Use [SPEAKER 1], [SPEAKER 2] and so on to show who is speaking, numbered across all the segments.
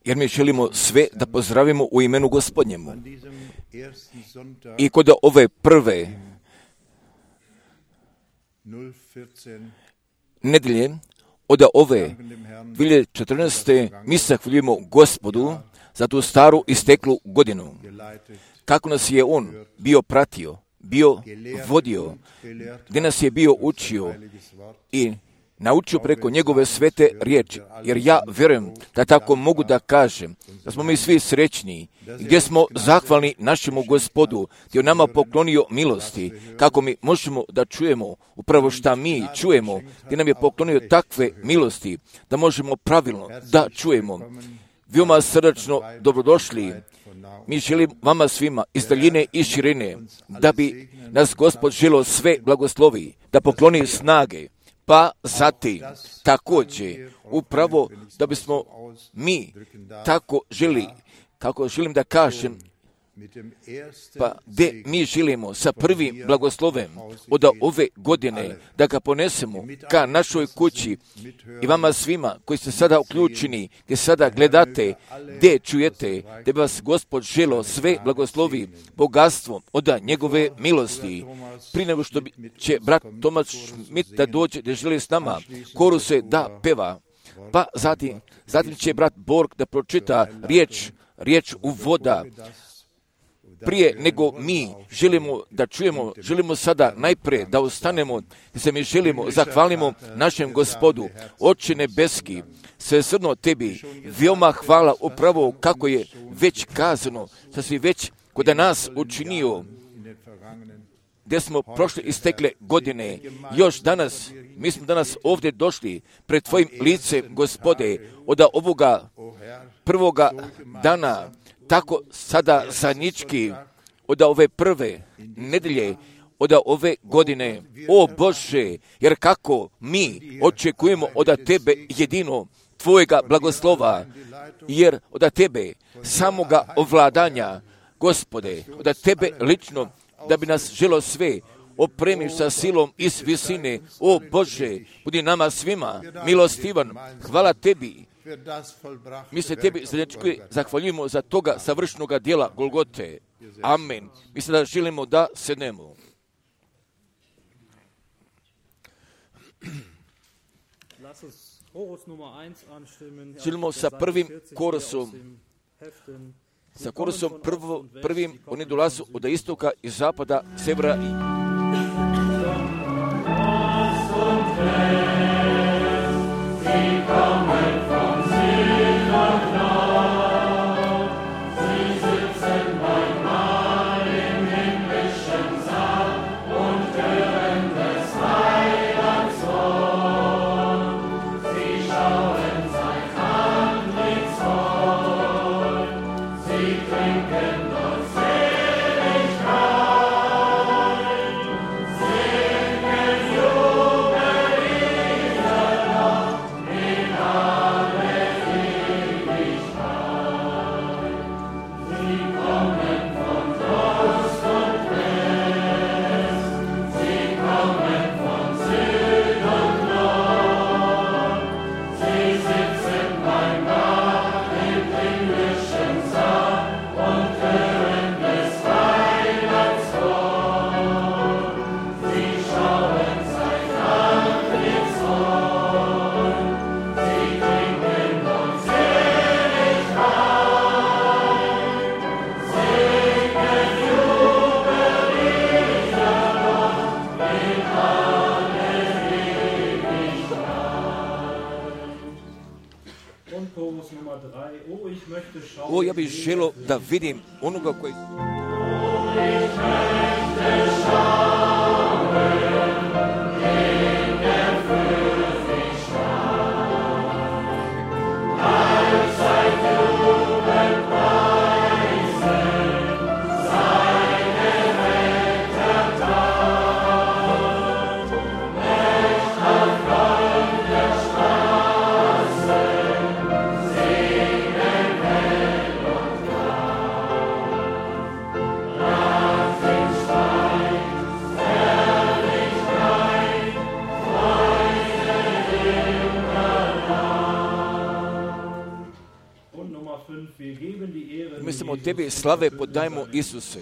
[SPEAKER 1] jer mi želimo sve da pozdravimo u imenu Gospodnjemu. I kod ove prve nedelje, od ove 2014. mi se zahvaljujemo Gospodu za tu staru isteklu godinu. Kako nas je On bio pratio, bio vodio, gdje nas je bio učio i naučio preko njegove svete riječi. Jer ja vjerujem da tako mogu da kažem, da smo mi svi srećni, gdje smo zahvalni našemu Gospodu, gdje je nama poklonio milosti, kako mi možemo da čujemo upravo šta mi čujemo, gdje nam je poklonio takve milosti, da možemo pravilno da čujemo. Veoma srdačno dobrodošli. Mi želimo vama svima iz daljine i širine, da bi nas Gospod želio sve blagoslovi, da pokloni snage, pa zatim također upravo da bismo mi tako želi, kako želim da kažem, pa gdje mi želimo sa prvim blagoslovem od ove godine da ga ponesemo ka našoj kući i vama svima koji ste sada uključeni, gdje sada gledate, gdje čujete, gdje bi vas Gospod želo sve blagoslovi bogatstvom od njegove milosti. Prije nego što će brat Tomas Schmidt da dođe, da želi s nama koruse da peva, pa zatim će brat Borg da pročita riječ uvoda. Prije nego mi želimo da čujemo, želimo sada najprije da ostanemo, da se mi želimo, zahvalimo našem Gospodu, Oče nebeski, svesrdno tebi, veoma hvala upravo kako je već kazano, što si već kod nas učinio, gdje smo prošle istekle godine, još danas, mi smo danas ovdje došli pred tvojim licem, Gospode, od ovoga prvoga dana, tako sada zajednički od ove prve nedelje, od ove godine, o Bože, jer kako mi očekujemo od Tebe jedino Tvojega blagoslova, jer od Tebe samoga ovladanja, Gospode, od Tebe lično, da bi nas želo sve opremiš sa silom iz visine, o Bože, budi nama svima milostivan, hvala Tebi. Mi se Tebi zahvaljujemo za toga savršenoga dijela Golgote. Amen. Mi se da želimo da sednemo. Želimo sa prvim korusom, prvim, oni dolazu od istoka i zapada, severa i ja bih želio da vidim onoga koji...
[SPEAKER 2] Stop.
[SPEAKER 1] samo tebi slave podajmo, Isuse.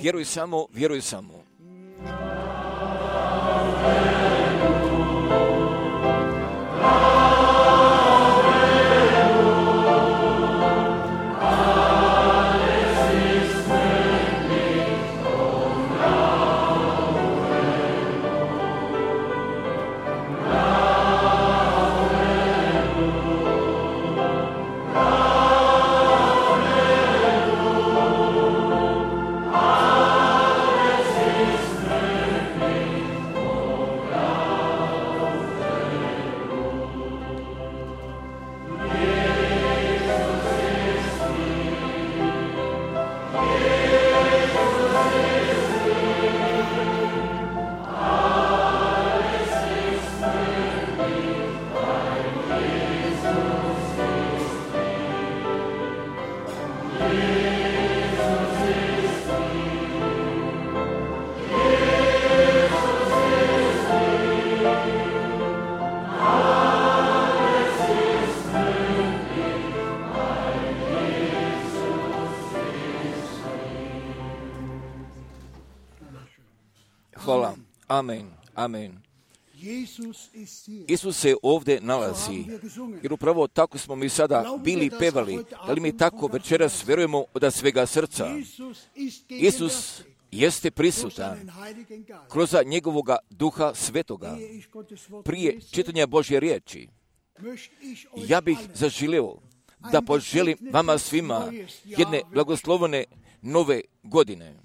[SPEAKER 1] Vjeruj samo, vjeruj samo. Hvala. Amen. Amen. Isus se ovdje nalazi, jer upravo tako smo mi sada bili pevali, da li mi tako večeras vjerujemo od svega srca. Isus jeste prisutan kroz njegovoga Duha Svetoga. Prije čitanja Božje riječi, ja bih zaželio da poželim vama svima jedne blagoslovene nove godine.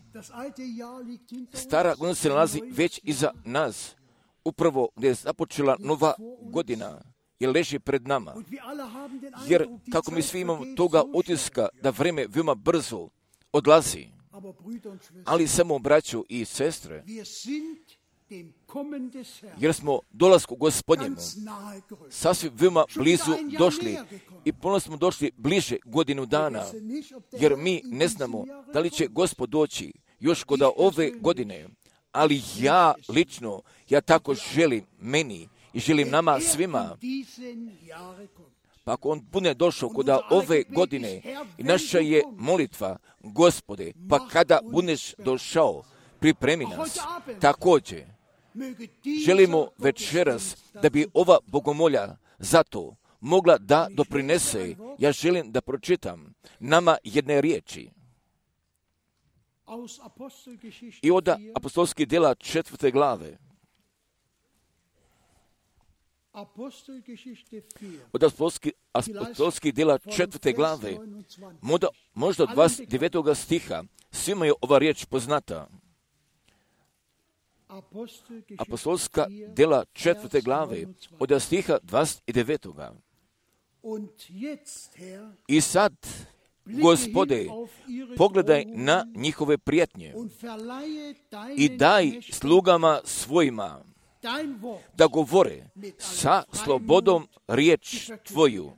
[SPEAKER 1] Stara godina se nalazi već iza nas, upravo gdje je započela nova godina, jer leži pred nama. Jer kako mi svi imamo toga utiska da vrijeme veoma brzo odlazi, ali samo braćo i sestre, jer smo dolasku Gospodnjemu sasvim veoma blizu došli i ponovno smo došli bliže godinu dana, jer mi ne znamo da li će Gospod doći još kod ove godine, ali ja lično, ja tako želim meni i želim nama svima. Pa ako on bude došao kod ove godine i naša je molitva, Gospode, pa kada budeš došao, pripremi nas. Također, želimo večeras da bi ova bogomolja zato mogla da doprinese. Ja želim da pročitam nama jedne riječi. I od apostolskih djela 4. glave. Od apostolskih djela 4. glave, možda od 29. stiha, svima je ova riječ poznata. Apostolska djela 4. glave, od stiha 29. I sad, Gospode, pogledaj na njihove prijetnje i daj slugama svojima da govore sa slobodom riječ Tvoju.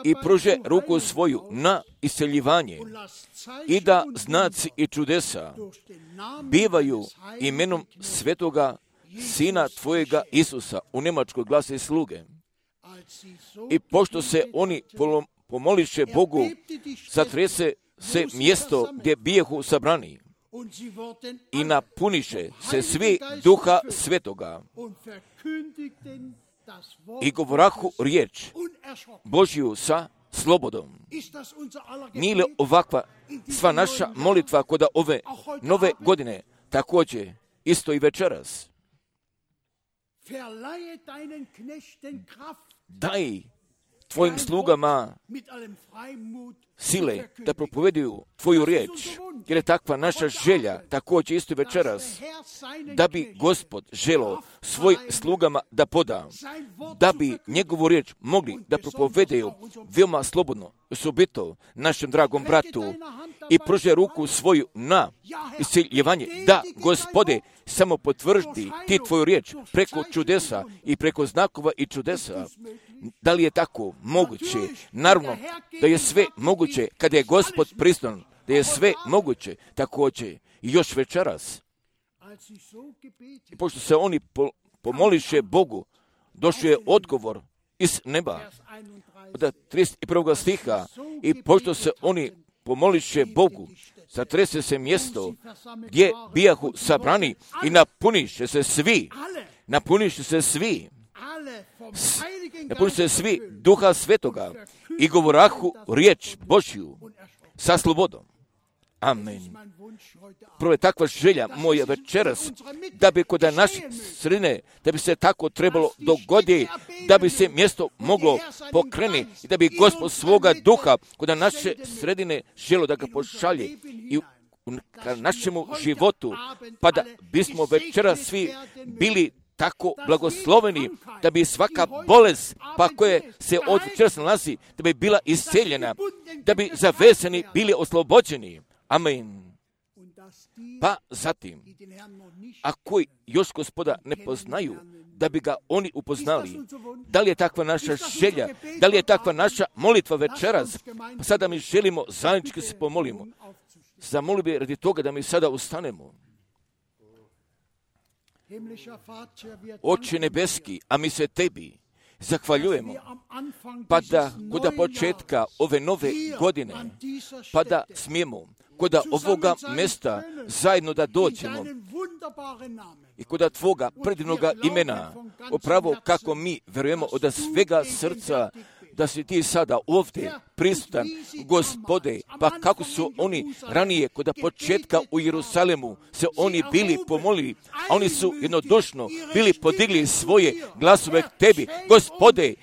[SPEAKER 1] i pruže ruku svoju na isceljivanje i da znaci i čudesa bivaju imenom svetoga Sina Tvojega Isusa. U Njemačkoj glase sluge. I pošto se oni pomoliše Bogu, zatrese se mjesto gdje bijehu sabrani i napuniše se svi Duha Svetoga i govorahu riječ Božju sa slobodom. Nije li ovakva sva naša molitva kod ove nove godine, također isto i večeras? Daj Tvojim slugama sile da propoveduju Tvoju riječ, jer je takva naša želja, također isto večeras, da bi Gospod želio svojim slugama da poda, da bi njegovu riječ mogli da propovedeju veoma slobodno, osobito našem dragom bratu, i pruže ruku svoju na isceljevanje. Da, Gospode, samo potvrdi ti Tvoju riječ preko čudesa i preko znakova i čudesa. Da li je tako moguće? Naravno da je sve moguće kada je Gospod prisutan, da je sve moguće također i još večeras. I pošto se oni pomoliše Bogu, došao je odgovor iz neba od 31. stiha. I pošto se oni pomoliše Bogu, zatrese se mjesto gdje bijahu sabrani i napuniše se svi Duha Svetoga i govorahu riječ Božju sa slobodom. Amen. Prvo je takva želja moja večeras, da bi kod naše sredine, da bi se tako trebalo dogoditi, da bi se mjesto moglo pokrenuti i da bi Gospod svoga duha kod naše sredine želio da ga pošalje i u našemu životu, pa da bismo večeras svi bili tako blagosloveni, da bi svaka bolest, pa koje se od večeras nalazi, da bi bila isceljena, da bi zavezani bili oslobođeni. Amen. Pa zatim, a koji još Gospoda ne poznaju, da bi ga oni upoznali. Da li je takva naša želja? Da li je takva naša molitva večeras? Pa sada mi želimo zajednički se pomolimo. Zamoli bi radi toga da mi sada ustanemo. Oče nebeski, a mi se Tebi zahvaljujemo, pa da kod početka ove nove godine, pa da smijemo kod ovoga mjesta zajedno da dođemo i kod Tvoga predivnoga imena, upravo kako mi vjerujemo od svega srca da si Ti sada ovdje prisutan, Gospode, pa kako su oni ranije kod početka u Jerusalemu se oni bili pomolili, a oni su jednodušno bili podigli svoje glasove k Tebi. Gospode,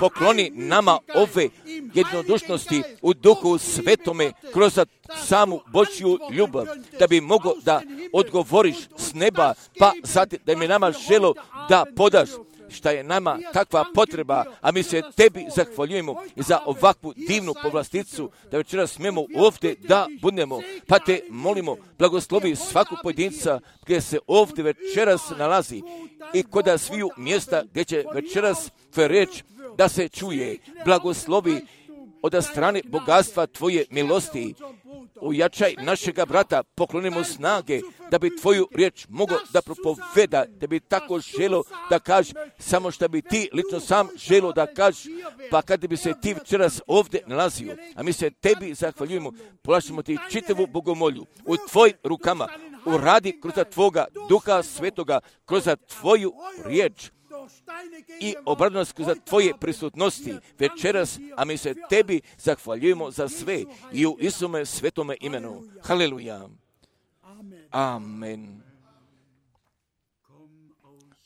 [SPEAKER 1] pokloni nama ove jednodušnosti u Duhu Svetome kroz samu Božju ljubav, da bi mogo da odgovoriš s neba, pa zatim da mi nama želo da podaš šta je nama takva potreba, a mi se Tebi zahvaljujemo za ovakvu divnu povlasticu, da večeras smijemo ovdje da budemo, pa Te molimo, blagoslovi svakog pojedinca gdje se ovdje večeras nalazi i kod sviju mjesta gdje će večeras Tvoja riječ da se čuje. Blagoslovi od strane bogatstva Tvoje milosti. Ojačaj našega brata, poklonimo snage, da bi Tvoju riječ mogao da propoveda, da bi tako želo da kaže samo što bi Ti lično sam želo da kaže, pa kada bi se Ti večeras ovdje nalazio, a mi se Tebi zahvaljujemo, polažemo Ti čitavu bogomolju u Tvojim rukama, uradi kroz Tvoga Duha Svetoga, kroz Tvoju riječ i obradnost kroz Tvoje prisutnosti večeras, a mi se Tebi zahvaljujemo za sve i u Isume svetome imenu. Haleluja. Amen.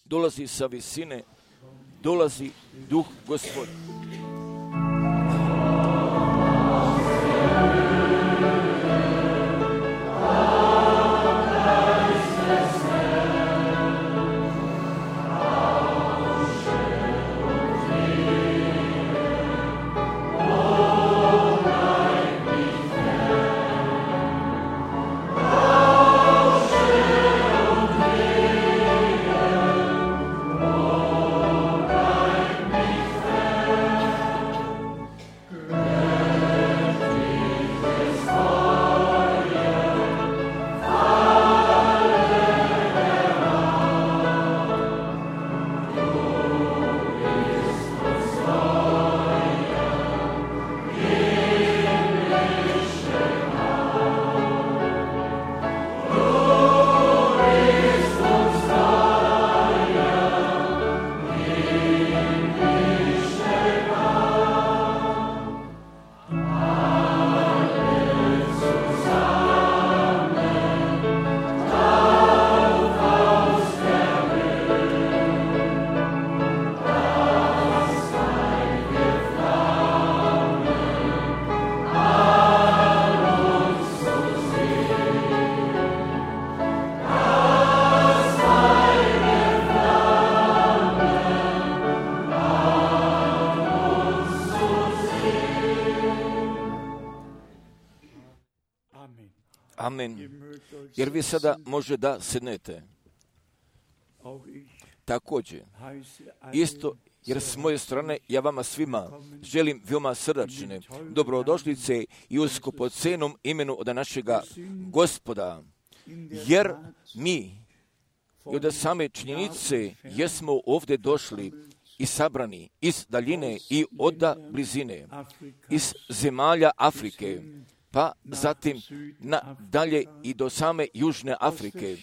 [SPEAKER 1] Dolazi sa visine, dolazi Duh Gospod. jer vi sada može da sednete. Također, isto jer s moje strane ja vama svima želim veoma srdačne dobrodošlice i u skupocenom imenu od našega Gospoda, jer mi i od same činjenice jesmo ovdje došli i sabrani iz daljine i od blizine, iz zemalja Afrike, pa zatim dalje i do same Južne Afrike.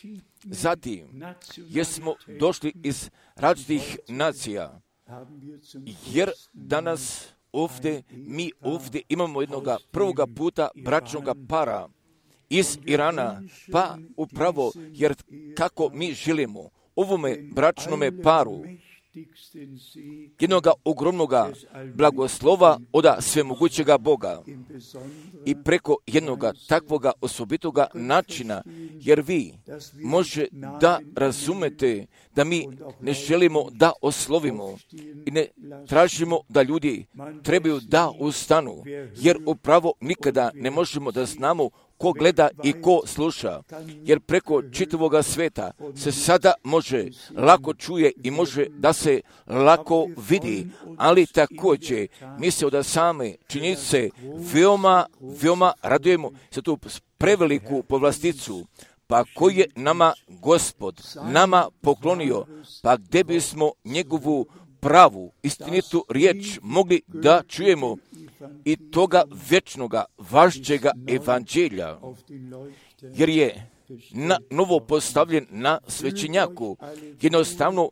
[SPEAKER 1] Zatim jesmo došli iz različitih nacija, jer danas mi ovdje imamo jednoga prvoga puta bračnoga para iz Irana, pa upravo jer kako mi želimo ovome bračnome paru jednoga ogromnoga blagoslova od svemogućega Boga i preko jednoga takvoga osobitoga načina, jer vi može da razumete da mi ne želimo da oslovimo i ne tražimo da ljudi trebaju da ustanu, jer upravo nikada ne možemo da znamo ko gleda i ko sluša, jer preko čitavoga sveta se sada može lako čuje i može da se lako vidi, ali također mi se od same činjenice veoma radujemo za tu preveliku povlasticu, pa koji je nama Gospod nama poklonio, pa gdje bismo njegovu pravu, istinitu riječ mogli da čujemo i toga vječnoga, važđega evanđelja, jer je na novo postavljen na svećenjaku. Jednostavno,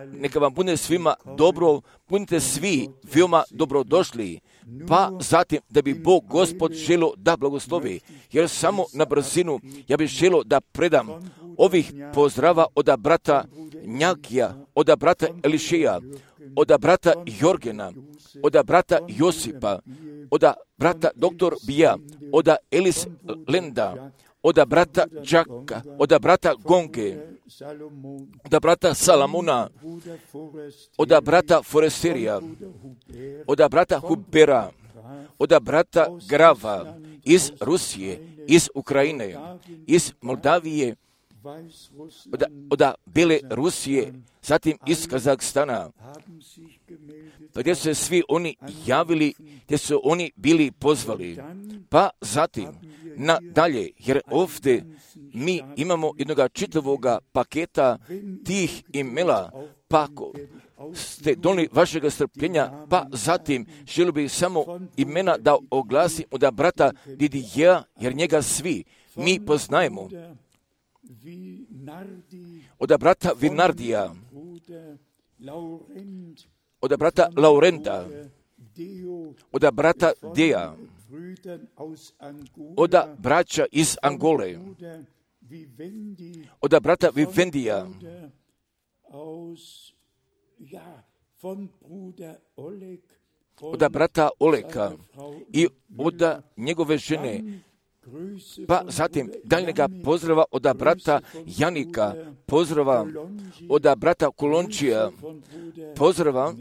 [SPEAKER 1] neka vam bude svima dobro, budite svi veoma dobrodošli, pa zatim da bi Bog Gospod želio da blagoslovi, jer samo na brzinu ja bih želio da predam ovih pozdrava od brata Njakija, od brata Elišeja, od brata Jorgena, od brata Josipa, od brata doktor Bija, od Elis Lenda, od brata Džaka, od brata Gonge, od brata Salamuna, od brata Foresterija, od brata Hubera, od brata Grava, iz Rusije, iz Ukrajine, iz Moldavije, od Bele Rusije, zatim iz Kazahstana, gdje su se svi oni javili, gdje su oni bili pozvali, pa zatim nadalje, jer ovdje mi imamo jednoga čitavoga paketa tih imela, pa ako ste donijeli vašega strpljenja, pa zatim želio bih samo imena da oglasim od brata Didija, jer njega svi mi poznajemo, od brata Vinardija, od brata Laurenta, od brata Deja, od braća iz Angole, od brata Vivendija, od brata Oleka i od njegove žene, pa zatim daljnjega pozdrava od brata Janika, pozdrava od brata Kolončija, pozdrava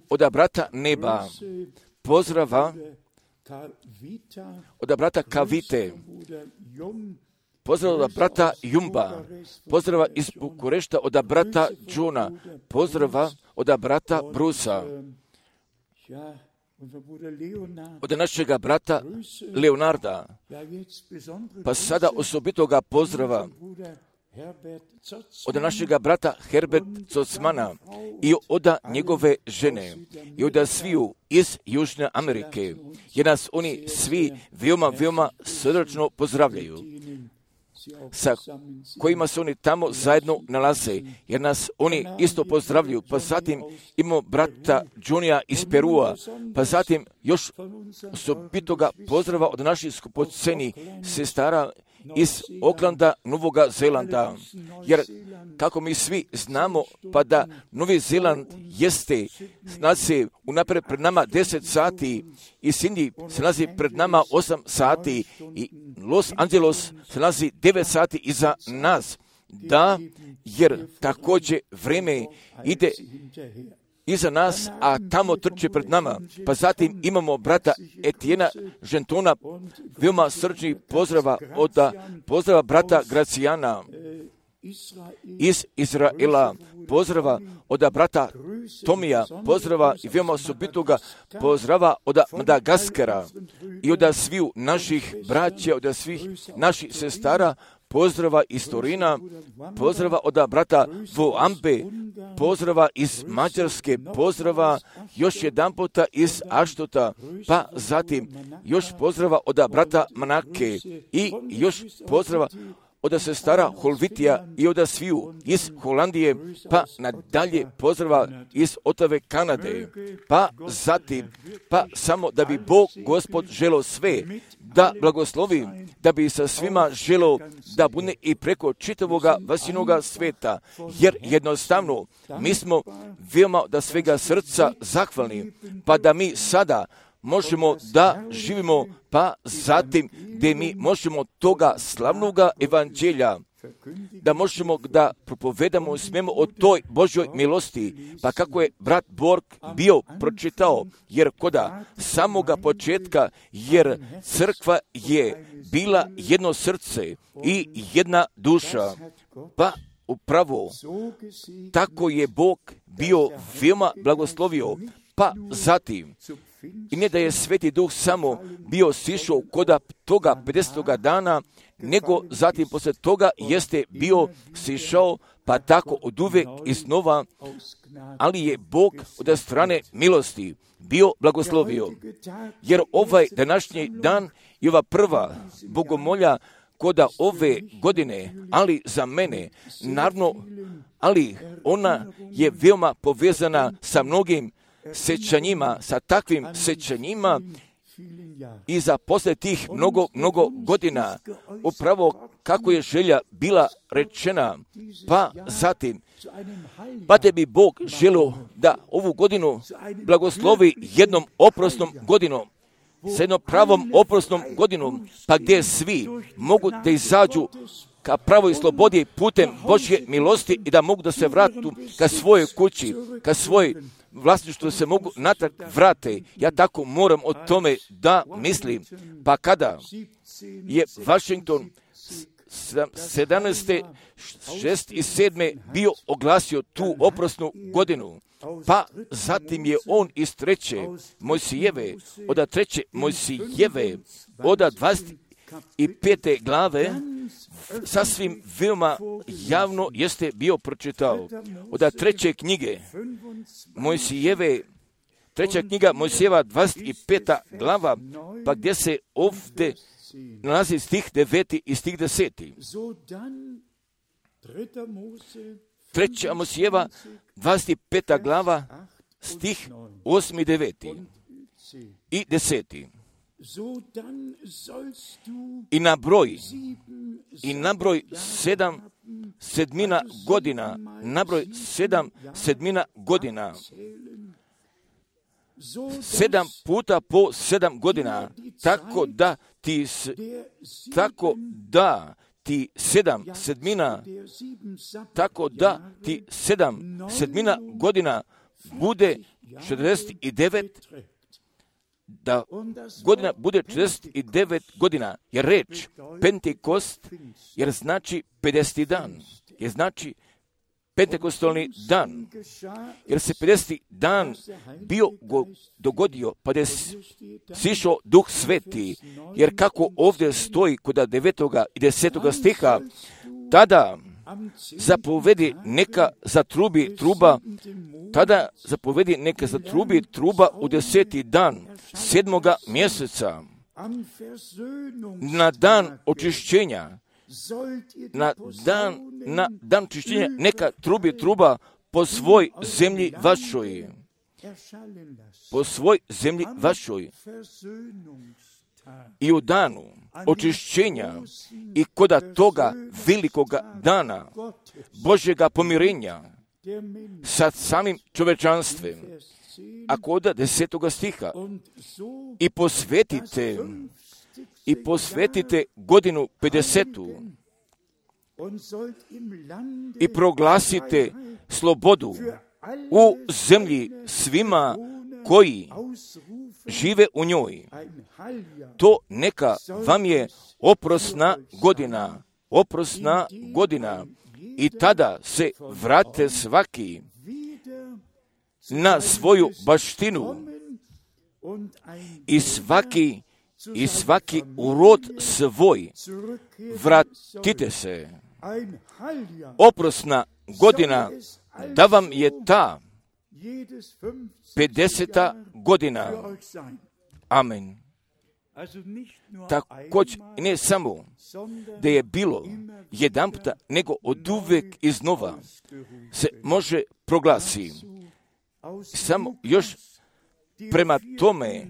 [SPEAKER 1] od brata Neba, pozdrava od brata Kavite, pozdrava od brata Jumba, pozdrava iz Bukurešta od brata Džuna, pozdrava od brata Brusa, od našega brata Leonarda, pa sada osobitoga pozdrava od našega brata Herbert Zocmana i od njegove žene i od sviju iz Južne Amerike, jer nas oni svi veoma srdačno pozdravljaju, sa kojima se oni tamo zajedno nalaze, jer nas oni isto pozdravljaju. Pa zatim imamo brata Džunija iz Perua, pa zatim još osobitoga pozdrava od naših skupoceni sestara iz Oklanda, Novoga Zelanda, jer kako mi svi znamo, pa da Novi Zeland jeste, nalazi unaprijed pred nama 10 sati i Sydney se nalazi pred nama 8 sati i Los Angeles se nalazi 9 sati iza nas, da, jer također vrijeme ide iza nas, a tamo trče pred nama. Pa zatim imamo brata Etijena Žentona, veoma srčnih pozdrava brata Gracijana iz Izraela, pozdrava od brata Tomija, pozdrava i veoma osobitoga pozdrava od Madagaskara i od sviju naših braća, od svih naših sestara, pozdrava iz Torina, pozdrava od brata Voambe, pozdrava iz Mađarske, pozdrava još jedan puta iz Aštota, pa zatim još pozdrava od brata Manake i još pozdrava od sestara Holvitija i od sviju iz Holandije, pa nadalje pozdrava iz Otave Kanade, pa zatim, pa samo da bi Bog Gospod želeo sve da blagoslovi, da bi sa svima želeo da bude i preko čitavoga vasinoga sveta, jer jednostavno mi smo veoma da svega srca zahvalni, pa da mi sada možemo da živimo, pa zatim gdje mi možemo toga slavnoga evanđelja, da možemo da propovedamo smijemo o toj Božjoj milosti, pa kako je brat Borg bio pročitao, jer koda samoga početka, jer crkva je bila jedno srce i jedna duša, pa upravo tako je Bog bio veoma blagoslovio, pa zatim i ne da je Sveti Duh samo bio sišao koda toga 50. dana, nego zatim poslije toga jeste bio sišao, pa tako od uvek iznova, ali je Bog od strane milosti bio blagoslovio. Jer ovaj današnji dan i ova prva bogomolja koda ove godine, ali za mene, naravno, ali ona je veoma povezana sa mnogim sećanjima, sa takvim sećanjima i za posle tih mnogo godina, upravo kako je želja bila rečena, pa zatim, pa te bi Bog želio da ovu godinu blagoslovi jednom oprosnom godinom, sa jednom pravom oprosnom godinom, pa gdje svi mogu da izađu ka pravoj slobodi putem Božje milosti i da mogu da se vratu ka svojoj kući, ka svojoj vlasništvu se mogu natrag vrate. Ja tako moram o tome da mislim. Pa kada je Washington 17. 6. i 7. bio oglasio tu oprosnu godinu, pa zatim je on iz 3. Mojsijeve, od 3. Mojsijeve, od 25. glave, sasvim veoma javno jeste bio pročitao. Od 3. knjige Mojsijeve, 3. knjiga Mojsijeva, 25. glava, pa gdje se ovdje nalazi stih 9. i stih 10. 3. Mojsijeva, 25. glava, stih 8. i 9. i 10. I nabroj 7 sedmina godina, nabroj 7 sedmina godina, 7 puta po 7 godina, tako da ti 7 sedmina, tako da ti 7 sedmina godina bude 49, da godina bude 49 godina, jer reč Pentekost, jer znači 50. dan, jer znači Pentekostalni dan, jer se 50. dan bio dogodio, pa je sišao Duh Sveti, jer kako ovdje stoji kod 9. i 10. stiha, tada zapovedi neka zatrubi truba, tada zapovedi neka zatrubi truba u 10. dan 7. mjeseca, na dan očišćenja, na dan očišćenja neka trubi truba po svoj zemlji vašoj, po svoj zemlji vašoj. I u danu očišćenja i koda toga velikoga dana Božjega pomirenja sa samim čovečanstvom, a koda 10. stiha, i posvetite godinu 50. i proglasite slobodu u zemlji svima koji žive u njoj. To neka vam je oprosna godina i tada se vrate svaki na svoju baštinu i svaki urod svoj. Vratite se. Oprosna godina da vam je ta 50. godina. Amen. Također ne samo da je bilo jedan puta, nego od uvek iznova se može proglasi. Samo još prema tome,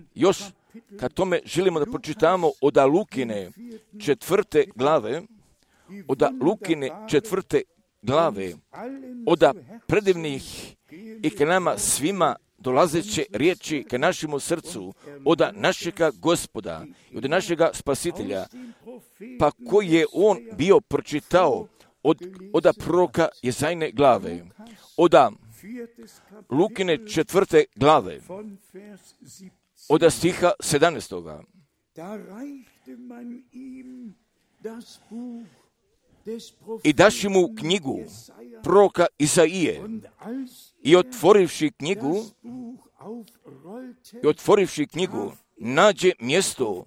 [SPEAKER 1] kad tome želimo da pročitamo od Lukine 4. glave, od predivnih i k nama svima dolazeće riječi k našemu srcu, od našega Gospoda i od našega Spasitelja, pa koji je on bio pročitao od proroka Jezajne glave, od Lukine 4. glave, od stiha 17. I daši mu knjigu proroka Isaije i otvorivši knjigu, nađe mjesto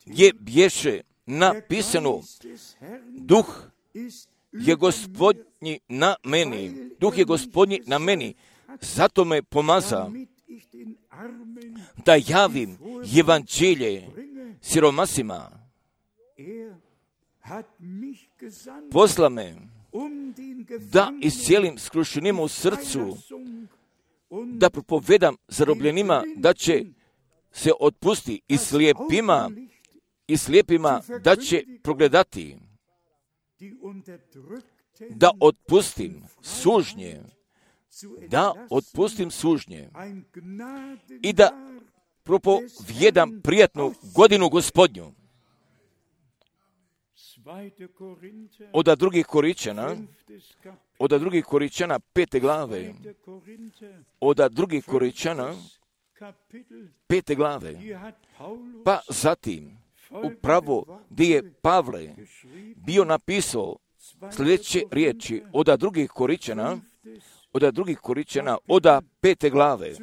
[SPEAKER 1] gdje bješe napisano: Duh je Gospodnji na meni, zato me pomaza da javim evanđelje siromasima. Posla me da iscijelim skrušenima u srcu, da propovedam zarobljenima da će se otpusti i slijepima da će progledati, da otpustim sužnje i da propovijedam prijatnu godinu Gospodnju. Od drugih Koričana 5. glave, pa zatim upravo gdje je Pavle bio napisao sljedeće riječi od drugih Koričana, od 5. glave.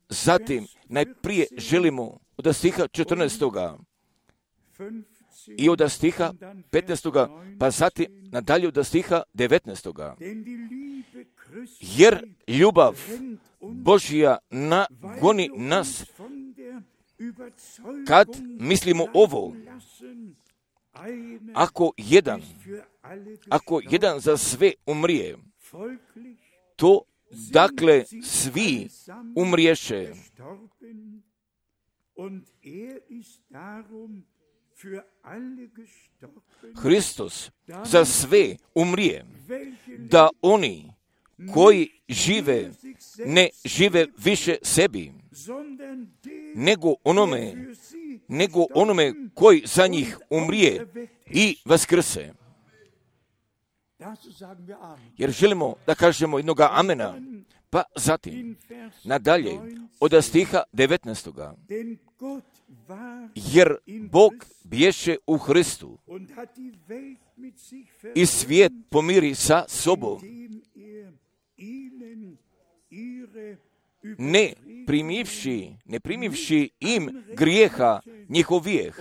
[SPEAKER 1] Zatim najprije želimo od stiha 14. i od stiha 15. pa zatim nadalje od stiha 19. Jer ljubav Božja nagoni nas kad mislimo ovo: ako jedan za sve umrije, to dakle svi umriješe. Hristos za sve umrije, da oni koji žive ne žive više sebi, nego onome koji za njih umrije i vaskrse. Jer želimo da kažemo jednoga amena. Pa zatim nadalje od stiha 19. Jer Bog bješe u Hristu i svijet pomiri sa sobom, ne primivši im grijeha njihovijeh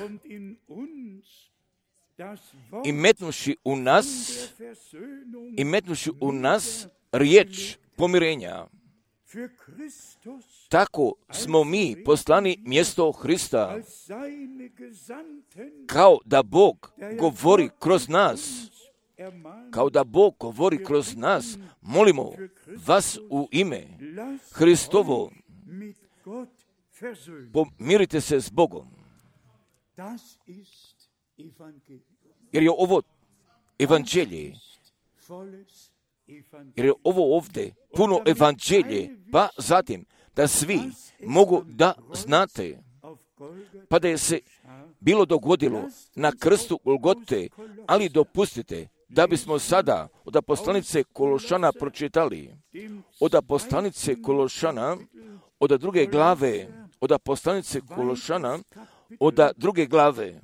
[SPEAKER 1] i metnuši u nas riječ pomirenja. Tako smo mi poslani mjesto Hrista, kao da Bog govori kroz nas. Molimo vas u ime Hristovo, pomirite se s Bogom. Jer je ovo evanđelje, jer je ovo ovdje puno evanđelje, pa zatim da svi mogu da znate, pa da je se bilo dogodilo na krstu Golgote, ali dopustite da bismo sada od poslanice Kološana pročitali, od poslanice Kološana, od druge glave, od poslanice Kološana, od druge glave.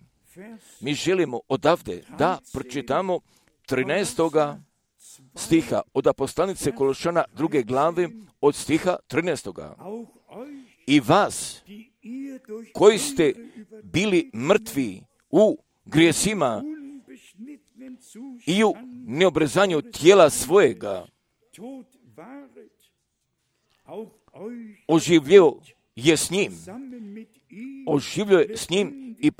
[SPEAKER 1] Mi želimo odavde da pročitamo 13. stiha, od poslanice Kološana druge glave, od stiha 13. I vas, koji ste bili mrtvi u grijesima i u neobrezanju tijela svojega, oživljio je s njim, oživljio je s njim i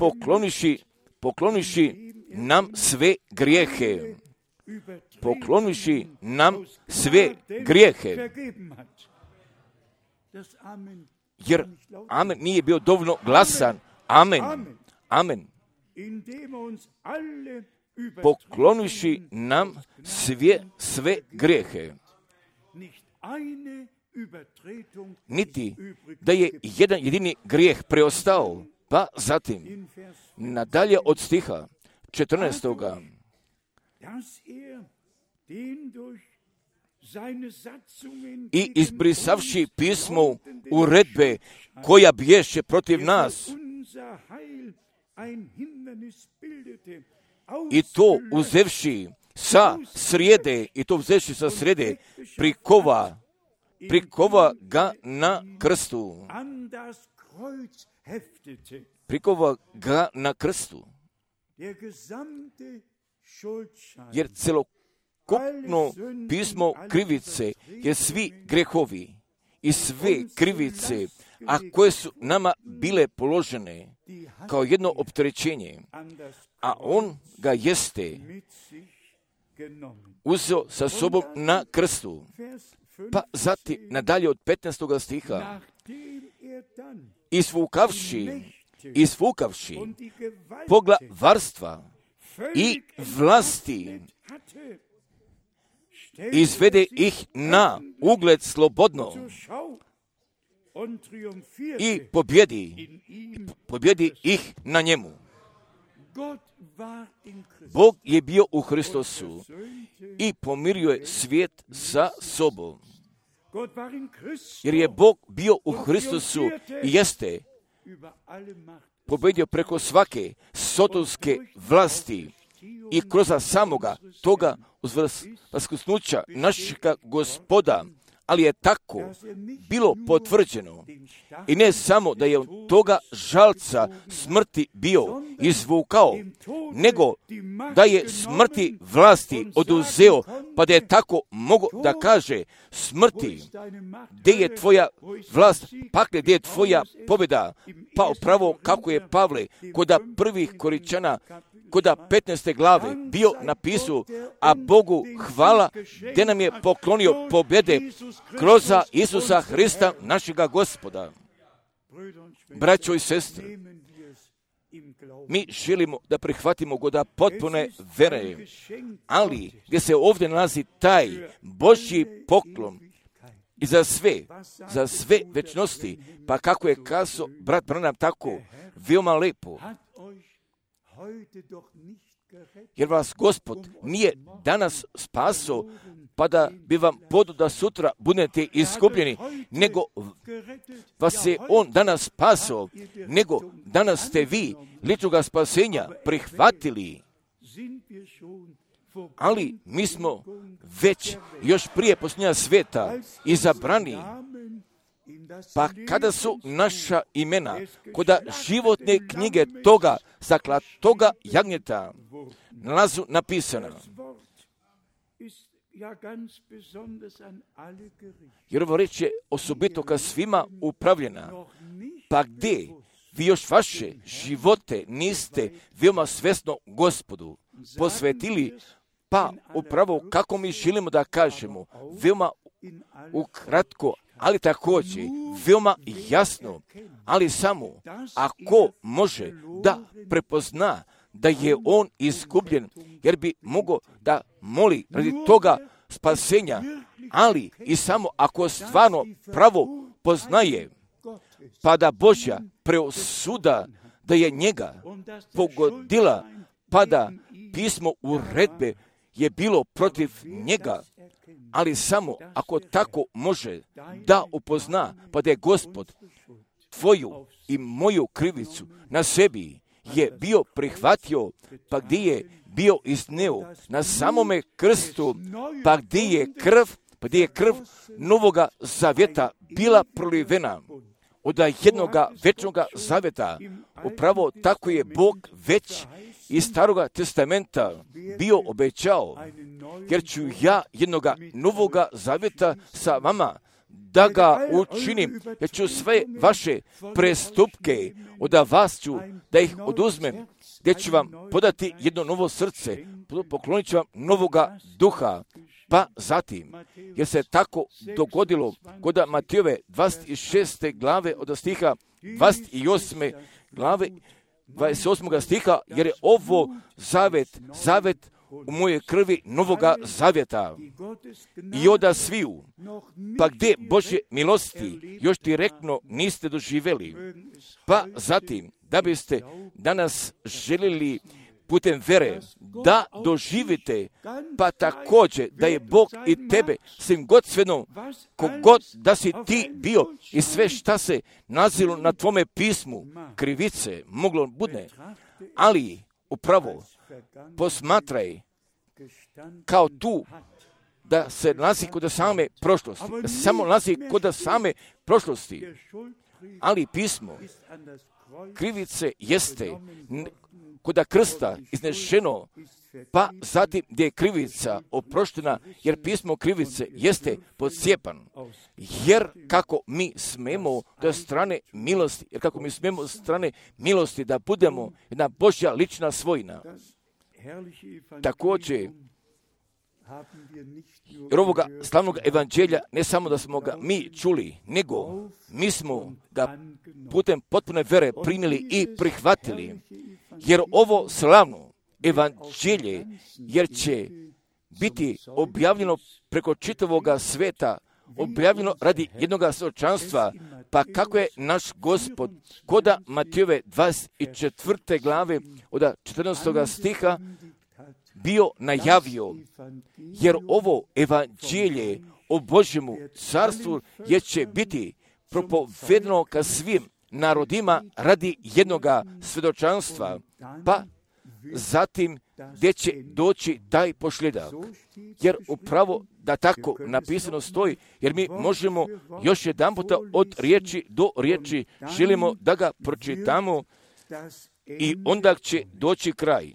[SPEAKER 1] pokloniši nam sve grijehe. Pokloniši nam sve grijehe. Jer amen nije bio dovoljno glasan. Amen. Amen. Pokloniši nam sve grijehe. Niti da je jedan jedini grijeh preostao. Pa zatim, nadalje od stiha 14. I izbrisavši pismo uredbe koja biješe protiv nas, i to uzevši sa srijede, prikova ga na krstu. Prikova ga na krstu. Jer celokupno pismo krivice, jer svi grehovi i sve krivice, a koje su nama bile položene kao jedno opterećenje, a on ga jeste uzeo sa sobom na krstu. Pa zatim, nadalje od 15. stiha, isfukavši poglavarstva i vlasti, izvede ih na ugled slobodno i pobjedi ih na njemu. Bog je bio u Hristosu i pomirio je svijet sa sobom. Jer je Bog bio u Hristosu i jeste pobjedio preko svake sotonske vlasti i kroz samoga toga vaskrsnuća našega Gospoda, ali je tako bilo potvrđeno. I ne samo da je od toga žalca smrti bio izvukao, nego da je smrti vlasti oduzeo, pa da je tako mogo da kaže smrti, gdje je tvoja vlast, pakle, gdje je tvoja pobjeda, pa upravo kako je Pavle kod prvih Koričana, kod 15. glave bio napisao, a Bogu hvala gdje nam je poklonio pobjede kroz Isusa Hrista, našega Gospoda. Braćo i sestre, mi želimo da prihvatimo goda potpune vere, ali gdje se ovdje nalazi taj Božji poklon i za sve večnosti, pa kako je kazao brat Branham tako veoma lepo, jer vas Gospod nije danas spasao, pa da bi vam podao da sutra budete izgubljeni, nego vas je On danas spasao, nego danas ste vi ličnoga spasenja prihvatili. Ali mi smo već još prije posljednja svijeta izabrani, pa kada su naša imena kod životne knjige toga zaklatoga jagnjeta nalazu napisana. Jer ovo reč je osobito ka svima upravljena, pa gdje vi još vaše živote niste veoma svjesno Gospodu posvetili, pa upravo kako mi želimo da kažemo, veoma ukratko, ali također veoma jasno, ali samo ako može da prepozna da je on izgubljen, jer bi mogao da moli radi toga spasenja, ali i samo ako stvarno pravo poznaje, pa da Božja preosuda da je njega pogodila, pa da pismo uredbe je bilo protiv njega, ali samo ako tako može da upozna, pa da je Gospod tvoju i moju krivicu na sebi je bio prihvatio, pa gdje je bio izneo na samome krstu, pa gdje je krv novoga zavjeta bila prolivena od jednoga večnoga zavjeta. Upravo tako je Bog već iz Staroga testamenta bio obećao, jer ću ja jednoga novoga zavjeta sa vama da ga učinim, jer ću sve vaše prestupke od vas ću da ih oduzmem, gdje ću vam podati jedno novo srce, poklonit ću vam novoga duha. Pa zatim, jer se tako dogodilo kod Matejove 26. glave od stiha 28. glave 28. stiha, jer je ovo zavet u moje krvi novoga zavjeta i oda sviju, pa gdje Božje milosti još direktno niste doživjeli. Pa zatim, da biste danas željeli putem vere da doživite, pa također da je Bog i tebe svim god svejedno, kogod da si ti bio i sve šta se nalazilo na tvome pismu, krivice, moglo bude, ali upravo posmatraj kao tu da se nalazi kod same prošlosti, da se samo nalazi kod same prošlosti, ali pismo krivice jeste kod krsta iznešeno, pa zatim gdje je krivica oproštena, jer pismo krivice jeste podcijepan. Jer kako mi smemo do strane milosti, da budemo jedna Božja lična svojina. Također, jer ovoga slavnog evanđelja ne samo da smo ga mi čuli, nego mi smo ga putem potpune vere primili i prihvatili. Jer ovo slavno evanđelje, jer će biti objavljeno preko čitavoga sveta, objavljeno radi jednoga svjedočanstva, pa kako je naš Gospod koda Matejove 24. glave od 14. stiha bio najavio, jer ovo evanđelje o Božjemu carstvu je će biti propovedeno ka svim narodima radi jednoga svjedočanstva, pa zatim gdje će doći taj pošljedak. Jer upravo da tako napisano stoji, jer mi možemo još jedan puta od riječi do riječi, želimo da ga pročitamo i onda će doći kraj.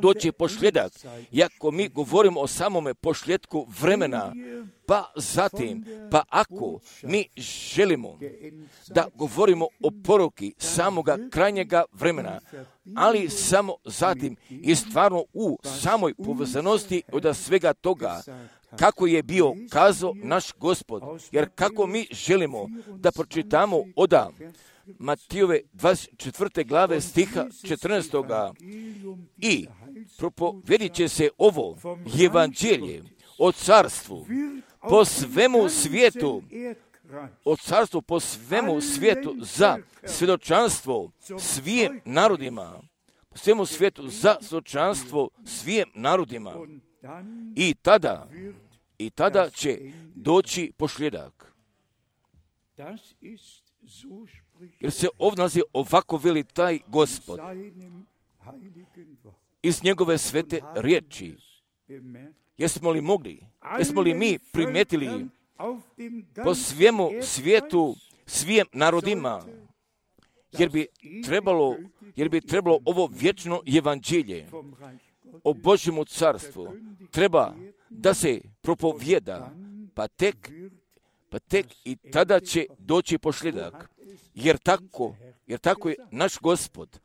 [SPEAKER 1] Doći pošljedak, iako mi govorimo o samome pošljetku vremena, pa zatim, pa ako mi želimo da govorimo o poruki samoga krajnjega vremena, ali samo zatim i stvarno u samoj povezanosti od svega toga, kako je bio kazao naš Gospod, jer kako mi želimo da pročitamo od Matejove 24. glave stiha 14. i propovedit će se ovo evanđelje o carstvu po svemu svijetu, o carstvu po svemu svijetu za svjedočanstvo svim narodima, po svemu svijetu za svjedočanstvo svim narodima. I tada će doći pošljedak. Jer se ovdje nalazi ovako veli taj Gospod iz njegove svete riječi. Jesmo li mi primijetili po svemu svijetu, svim narodima, jer bi trebalo ovo vječno evanđelje o Božjemu carstvu treba da se propovjeda, pa tek i tada će doći pošljedak. Jer tako je naš Gospod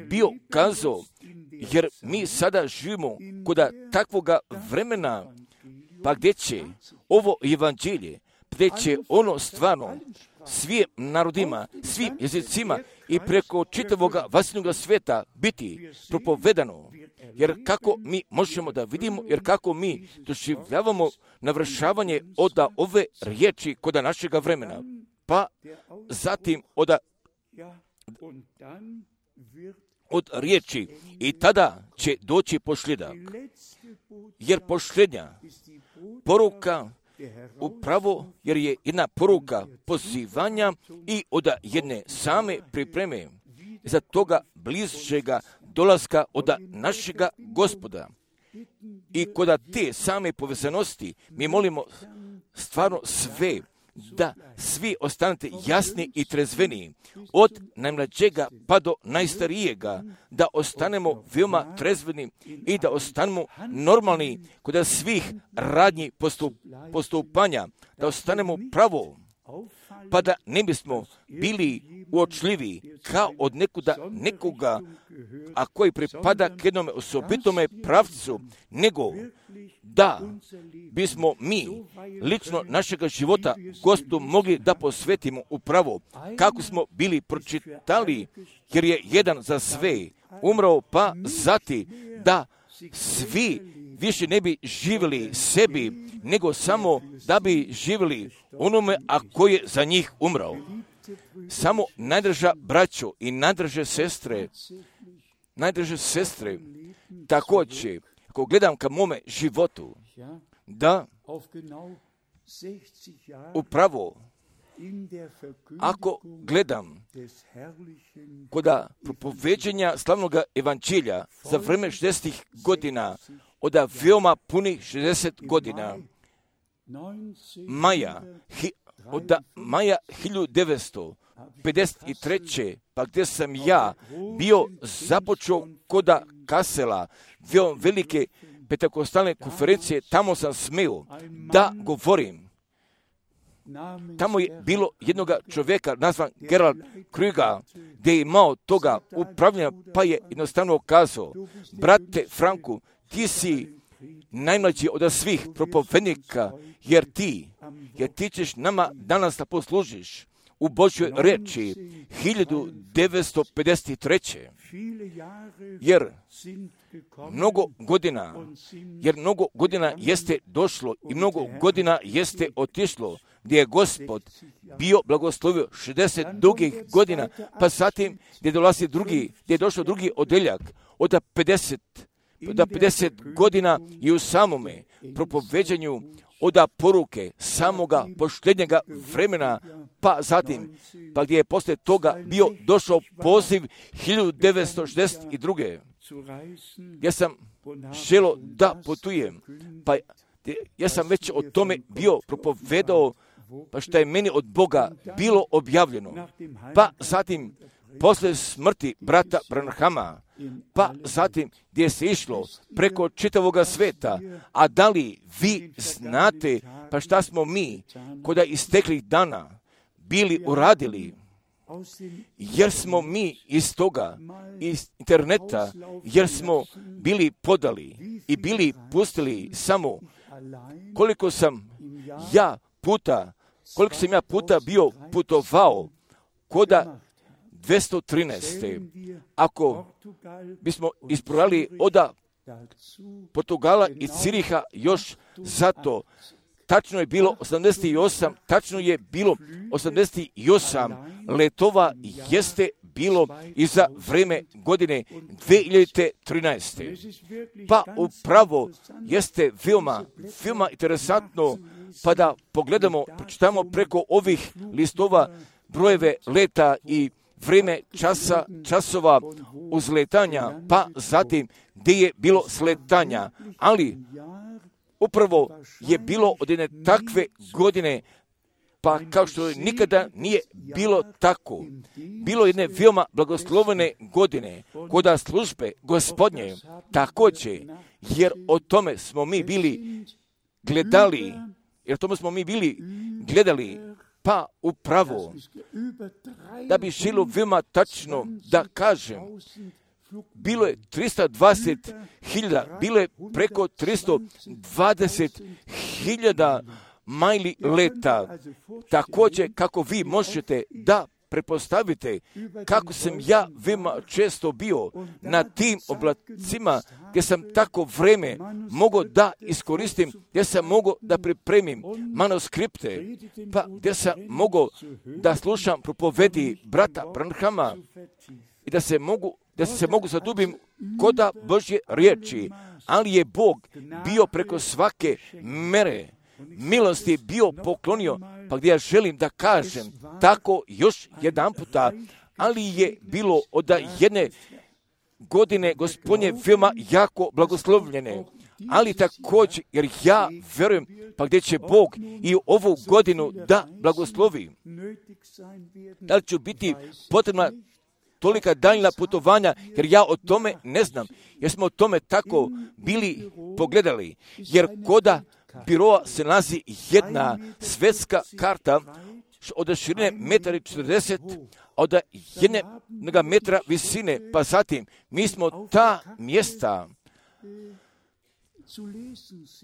[SPEAKER 1] bio kazao, jer mi sada živimo kod takvoga vremena, pa gdje će ovo evanđelje, gdje će ono stvarno svim narodima, svim jezicima i preko čitavoga vasilnoga svijeta biti propovedano. Jer kako mi možemo da vidimo, jer kako mi doživljavamo navršavanje od ove riječi kod našega vremena, pa zatim od riječi i tada će doći posljedak. Jer posljednja poruka upravo jer je jedna poruka pozivanja i od jedne same pripreme za toga bližega dolaska od našega Gospoda. I kod te same povezanosti mi molimo stvarno sve, da svi ostanete jasni i trezveni, od najmlađega pa do najstarijega, da ostanemo veoma trezveni i da ostanemo normalni kod svih radnji postupanja, da ostanemo pravo, pa da ne bismo bili uočljivi kao od nekoga, a koji pripada k jednom osobitome pravcu, nego da bismo mi lično našega života Gospodu mogli da posvetimo upravo kako smo bili pročitali, jer je jedan za sve umrao, pa zati da svi više ne bi živjeli sebi, nego samo da bi živjeli onome, a koji je za njih umrao. Samo najdraža braćo i najdraže sestre, također, ako gledam ka mome životu, da upravo ako gledam kod propoveđenja slavnog evanđelja za vreme 60 godina, od veoma punih 60 godina, maja 1953. pa gdje sam ja bio započeo kod Kasela, veoma velike pentekostalne konferencije, tamo sam smeo da govorim. Tamo je bilo jednog čovjeka nazvan Gerald Krüger, gdje je imao toga upravljanja, pa je jednostavno kazao: brate Franku, ti si najmlađi od svih propovednika, jer ti ćeš nama danas da poslužiš u Božjoj reči 1953. Jer mnogo godina jeste došlo i mnogo godina jeste otišlo, gdje je Gospod bio blagoslovio 60 dugih godina, pa zatim gdje je došao drugi odeljak od 50 godina i u samome propoveđanju od poruke samoga posljednjega vremena, pa zatim, pa gdje je poslije toga bio došao poziv 1962. Ja sam želio da putujem, pa ja sam već o tome bio propovedao, pa što je meni od Boga bilo objavljeno. Pa zatim, poslije smrti brata Branhama, pa zatim gdje se išlo preko čitavoga sveta, a da li vi znate pa šta smo mi kod isteklih dana bili uradili, jer smo mi iz toga, iz interneta, jer smo bili podali i bili pustili samo koliko sam ja puta bio putovao koda 213. Ako bismo isprojali od Portugala i Ciriha još zato, tačno je bilo 88 letova jeste bilo i za vreme godine 2013. Pa upravo jeste veoma interesantno, pa da pogledamo, pročitamo preko ovih listova brojeve leta i vreme časova uzletanja, pa zatim gdje je bilo sletanja, ali upravo je bilo od jedne takve godine, pa kao što nikada nije bilo tako. Bilo jedne veoma blagoslovene godine kod službe Gospodnje, također, jer o tome smo mi bili gledali, pa upravo, da bi želo veoma tačno da kažem, bilo je 320.000, bilo je preko 320.000 majli leta. Također, kako vi možete da prepostavite kako sam ja veoma često bio na tim oblacima, gdje sam tako vreme mogao da iskoristim, gdje sam mogao da pripremim manuskripte, pa gdje sam mogao da slušam propovedi brata Branhama i da se mogu da se mogu zadubim koda Božje riječi, ali je Bog bio preko svake mere milosti bio poklonio, pa gdje ja želim da kažem tako još jedan puta, ali je bilo od jedne godine Gospodnje veoma jako blagoslovljene, ali također, jer ja verujem, pa gdje će Bog i ovu godinu da blagoslovi. Da li će biti potrebna tolika daljna putovanja, jer ja o tome ne znam, jer smo o tome tako bili pogledali, jer koda biroa se nalazi jedna svetska karta od širine 1,40 m, od 1 metra visine, pa zatim mi smo ta mjesta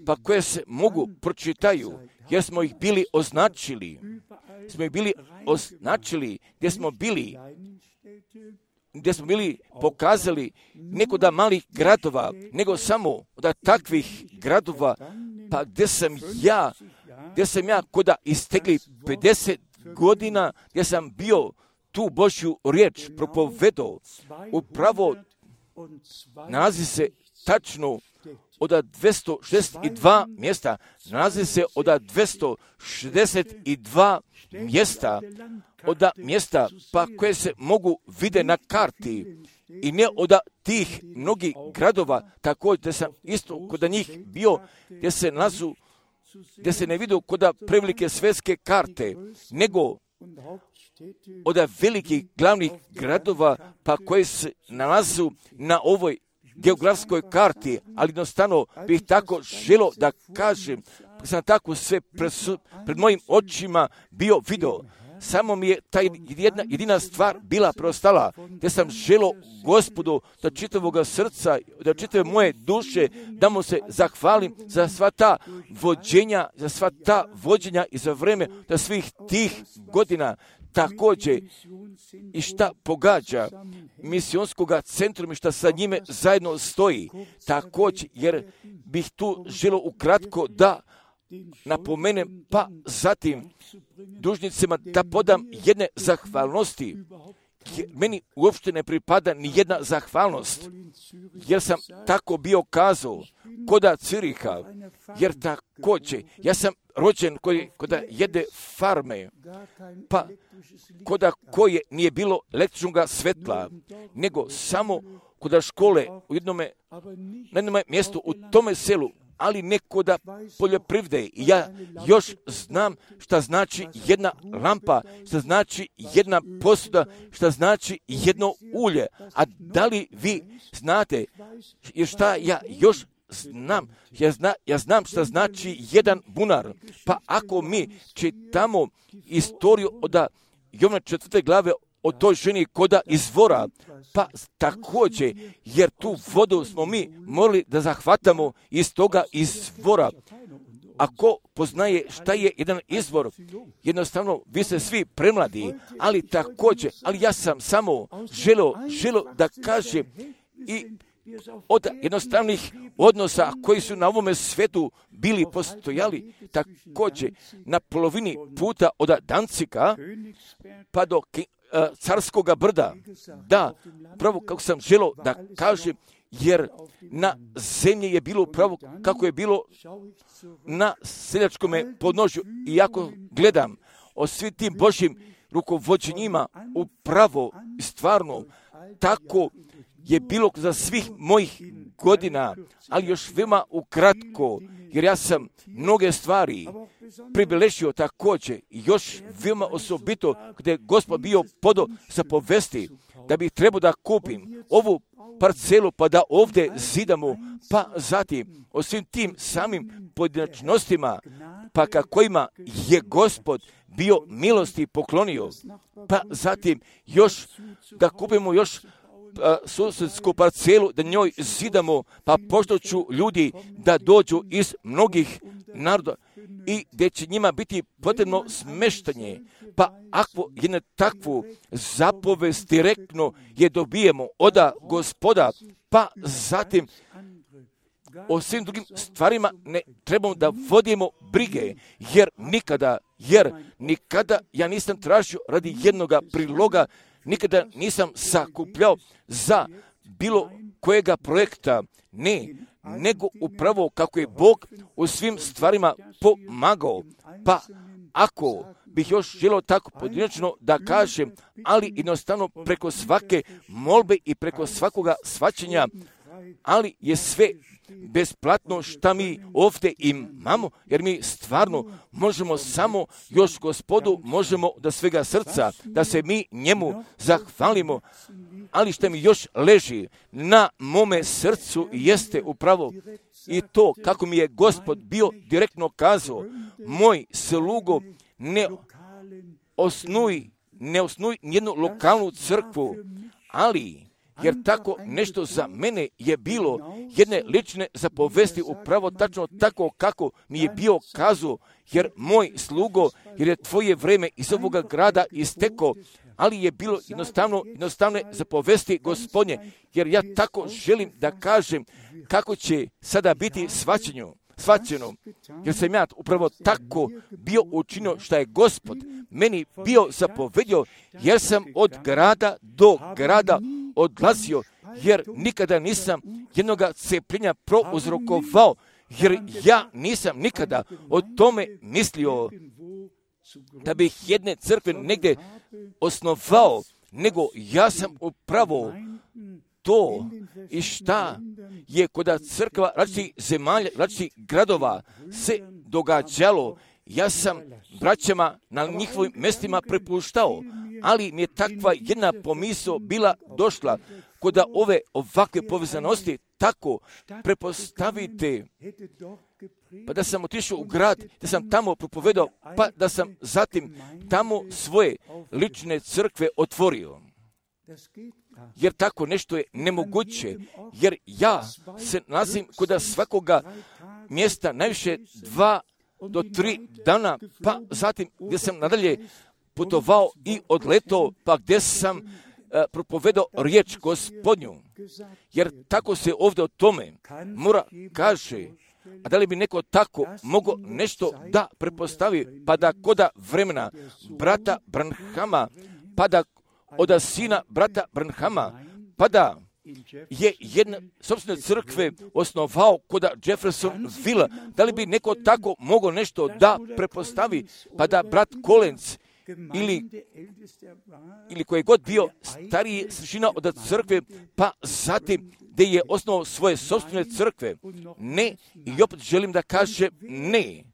[SPEAKER 1] pa koje se mogu pročitaju, jer smo ih bili označili, gdje smo bili pokazali nekoda malih gradova, nego samo od takvih gradova, pa gdje sam ja koda istekli 50 godina, gdje sam bio tu Božju riječ propovedao, upravo nalazi se tačno od 262 mjesta, nalazi se od 262 mjesta, od mjesta pa koje se mogu vide na karti i ne od tih mnogih gradova, također da sam isto kod njih bio, gdje se ne vidio kod prevelike svetske karte, nego od velikih glavnih gradova pa koji se nalazu na ovoj geografskoj karti, ali jednostavno bih tako želio da kažem, sam tako sve pred mojim očima bio video. Samo mi je ta jedina stvar bila preostala, gdje sam želio Gospodu da čitavog srca, da čitave moje duše, da mu se zahvalim za sva ta vođenja i za vreme da svih tih godina. Također i šta pogađa misionskog centrum i šta sa njime zajedno stoji. Također, jer bih tu želio ukratko da napomenem, pa zatim dužnicima da podam jedne zahvalnosti. Meni uopšte ne pripada ni jedna zahvalnost, jer sam tako bio kazao koda Ciriha, jer također ja sam rođen koda jedne farme, pa koda koje nije bilo električnog svetla, nego samo koda škole na jednom mjestu u tome selu, ali ne koda poljoprivrede. I ja još znam šta znači jedna lampa, šta znači jedna posuda, šta znači jedno ulje. A da li vi znate, jer šta ja još znam? Ja znam šta znači jedan bunar. Pa ako mi čitamo istoriju od Jovana 4. glave o toj ženi koda izvora, pa također, jer tu vodu smo mi morali da zahvatamo iz toga izvora. Ako poznaje šta je jedan izvor, jednostavno vi ste svi premladi, ali također, ali ja sam samo želio da kažem i od jednostavnih odnosa koji su na ovome svetu bili postojali, također na polovini puta od Dancika pa do Carskoga brda. Da, pravo kako sam želio da kažem, jer na zemlji je bilo pravo kako je bilo na seljačkome podnožju. I ako gledam o svim tim Božjim rukovođenjima, upravo i stvarno tako je bilo za svih mojih godina, ali još veoma ukratko, jer ja sam mnoge stvari pribeležio također, još veoma osobito gdje je Gospod bio podo sa povesti, da bih trebao da kupim ovu parcelu pa da ovdje zidamo, pa zatim o svim tim samim pojedinačnostima, pa kojima je Gospod bio milosti poklonio, pa zatim još da kupimo još susjedsku parcelu, da njoj zidamo, pa pošto ću ljudi da dođu iz mnogih naroda i gdje će njima biti potrebno smeštanje. Pa ako jednu takvu zapovest direktno je dobijemo od Gospoda, pa zatim o svim drugim stvarima ne trebamo da vodimo brige, jer nikada ja nisam tražio radi jednoga priloga nikada nisam sakupljao za bilo kojega projekta, ne, nego upravo kako je Bog u svim stvarima pomagao. Pa ako bih još želio tako pojedinačno da kažem, ali jednostavno preko svake molbe i preko svakoga shvaćanja, ali je sve besplatno šta mi ovdje imamo, jer mi stvarno možemo samo još Gospodu, možemo da svega srca, da se mi njemu zahvalimo, ali što mi još leži na mome srcu jeste upravo i to kako mi je Gospod bio direktno kazao, moj slugo, ne osnuj nijednu lokalnu crkvu, ali jer tako nešto za mene je bilo jedne lične zapovesti upravo tačno tako kako mi je bio kazao, jer moj slugo, jer je tvoje vreme iz ovoga grada istekao, ali je bilo jednostavne zapovesti Gospodnje, jer ja tako želim da kažem kako će sada biti shvaćeno, jer sam ja upravo tako bio učinio što je Gospod meni bio zapovedio, jer sam od grada do grada odlazio, jer nikada nisam jednoga cepljenja prouzrokovao, jer ja nisam nikada o tome mislio da bih jedne crkve negdje osnovao, nego ja sam upravo to i šta je kod crkva različitih zemalja, različitih gradova se događalo. Ja sam braćama na njihovim mjestima prepuštao, ali mi je takva jedna pomisao bila došla kod ove ovakve povezanosti, tako prepostavite, pa da sam otišao u grad, da sam tamo propovedao, pa da sam zatim tamo svoje lične crkve otvorio. Jer tako nešto je nemoguće, jer ja se nalazim kod svakoga mjesta najviše 2 do 3 dana, pa zatim gdje sam nadalje putovao i odletao, pa gdje sam propovedao riječ Gospodnju. Jer tako se ovdje o tome mora kaže, a da li bi neko tako mogao nešto da prepostavi, pa da koda vremena brata Branhama, pa da od sina brata Branhama, pa da je jedna sopstvene crkve osnovao kod Jeffersonville, da li bi neko tako mogao nešto da prepostavi, pa da brat Collins ili koji je god bio stariji sršina od crkve, pa zatim gdje je osnovao svoje sopstvene crkve. Ne, i opet želim da kažem ne.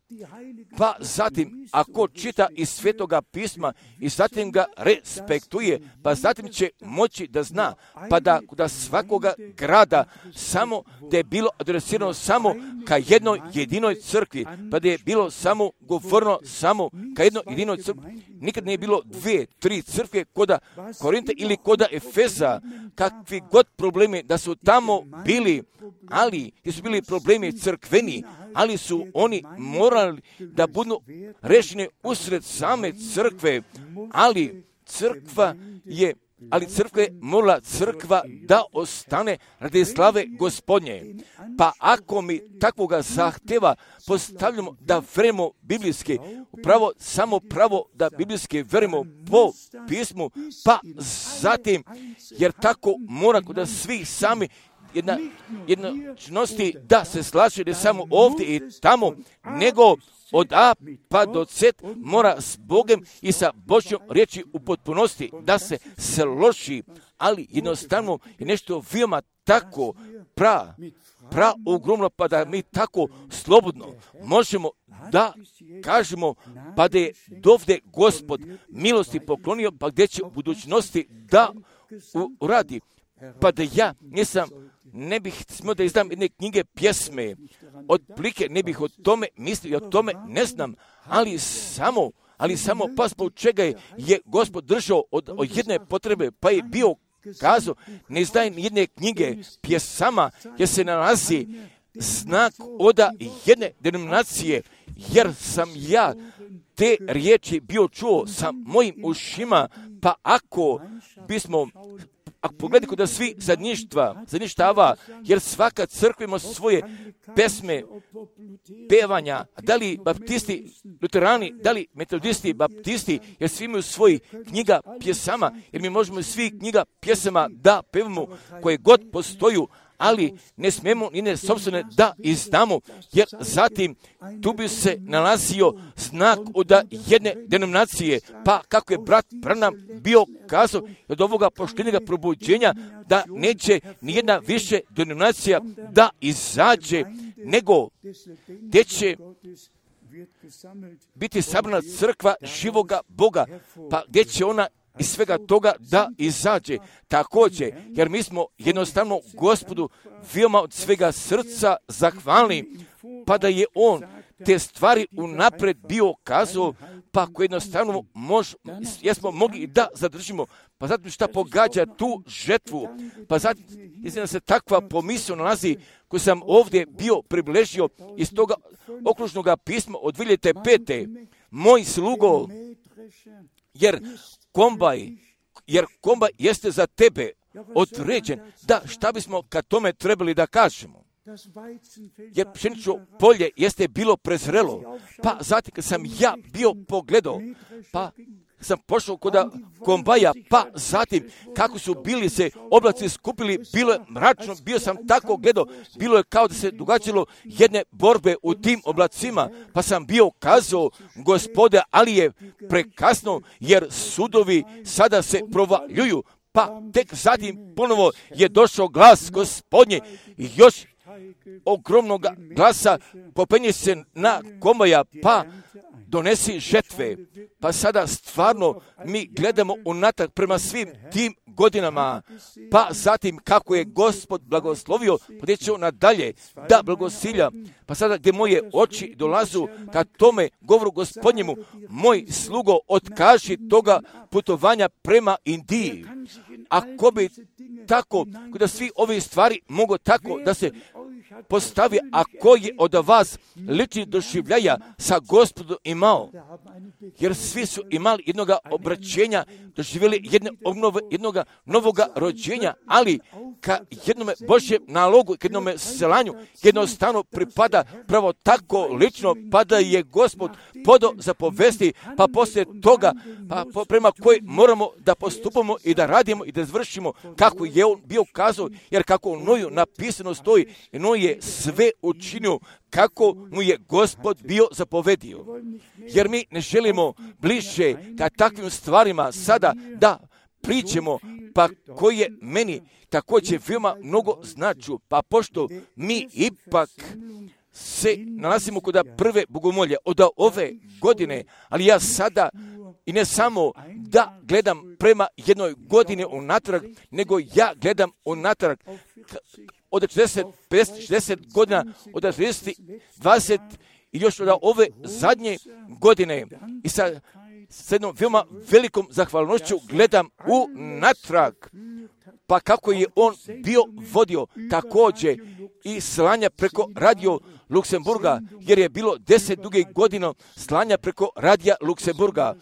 [SPEAKER 1] Pa zatim, ako čita iz Svetoga pisma i zatim ga respektuje, pa zatim će moći da zna, pa da kod svakoga grada samo da je bilo adresirano samo ka jednoj jedinoj crkvi, pa da je bilo samo govorno samo ka jednoj jedinoj crkvi. Nikad nije bilo 2, 3 crkve koda Korinta ili koda Efeza, kakvi god problemi da su tamo bili, ali gdje su bili problemi crkveni, ali su oni morali da budu rešeni usred same crkve, ali crkva je morala crkva da ostane radi slave Gospodnje. Pa ako mi takvoga zahtjeva postavljamo da verujemo biblijski, upravo samo pravo da biblijski verujemo po pismu, pa zatim, jer tako mora kod svih sami jednočnosti da se slaže ne samo ovdje i tamo, nego od A pa do Z mora s Bogom i sa Božjom riječi u potpunosti da se složi, ali jednostavno je nešto veoma tako ogromno, pa da mi tako slobodno možemo da kažemo, pa da je dovde Gospod milosti poklonio, pa gdje će u budućnosti da uradi. Pa da ja ne bih smio da izdam jedne knjige pjesme, otplike ne bih o tome mislio, o tome ne znam, ali samo pa zbog čega je Gospod držao od jedne potrebe, pa je bio kazao, ne izdajem jedne knjige pjesama, jer se nalazi znak od jedne denominacije, jer sam ja te riječi bio čuo sa mojim ušima, pa ako ako pogledaj kod svi zadnjištava, jer svaka crkva ima svoje pesme, pevanja, da li baptisti, luterani, da li metodisti, baptisti, jer svi imaju svoj knjiga pjesama, jer mi možemo svi knjiga pjesama da pevamo koje god postoju, ali ne smemo ni ne sopstvene da izdamo, jer zatim tu bi se nalazio znak od jedne denominacije, pa kako je brat Branham bio kazao od ovoga poštenjega probuđenja, da neće nijedna više denominacija da izađe, nego gdje će biti sabrana crkva živoga Boga, pa gdje će ona iz svega toga da izađe. Također, jer mi smo jednostavno Gospodu veoma od svega srca zahvalni, pa da je On te stvari unapred bio kazao, pa ako jednostavno jesmo mogli da zadržimo, pa zatim šta pogađa tu žetvu, pa zatim da se takva pomisao nalazi koju sam ovdje bio približio iz toga okružnog pisma od 2005. Moj slugo, jer kombaj jeste za tebe određen, da šta bismo kad tome trebali da kažemo. Jer pšenično polje jeste bilo prezrelo, pa zatim kad sam ja bio pogledao, pa sam pošao kod kombaja, pa zatim kako su bili se oblaci skupili, bilo je mračno, bio sam tako gledao, bilo je kao da se događalo jedne borbe u tim oblacima, pa sam bio kazao, Gospode, ali je prekasno, jer sudovi sada se provaljuju, pa tek zatim ponovo je došao glas Gospodnje i još ogromnog glasa popenje se na kombaja, pa donesi žetve. Pa sada stvarno mi gledamo unatrag prema svim tim godinama, pa zatim kako je Gospod blagoslovio, podjećao nadalje da blagosilja. Pa sada gdje moje oči dolazu ka tome govoru Gospodnjemu, moj slugo, otkaži toga putovanja prema Indiji. Ako bi tako, da svi ove stvari mogu tako da se postavi, a koji je od vas lični doživljaja sa Gospodom imao, jer svi su imali jednoga obraćenja, doživjeli jednoga novoga rođenja, ali ka jednome Božjem nalogu, ka jednome selanju, jednostavno pripada pravo tako lično, pa da je Gospod podao zapovesti, pa poslije toga, pa prema koji moramo da postupamo i da radimo i da izvršimo kako je on bio kazao, jer kako u Noju napisano stoji, Noj je sve učinio kako mu je Gospod bio zapovedio. Jer mi ne želimo bliže ka takvim stvarima sada da pričamo, pa koji je meni također veoma mnogo značu, pa pošto mi ipak se nalazimo kod prve bogomolje od ove godine, ali ja sada i ne samo da gledam prema jednoj godini unatrag, nego ja gledam unatrag od 40, 50, 60 godina, od 30, 20 i još od ove zadnje godine. I sa jednom veoma velikom zahvalnošću gledam unatrag, pa kako je on bio vodio također i slanja preko radio Luksemburga, jer je bilo 10 dugih godina slanja preko radija Luksemburga.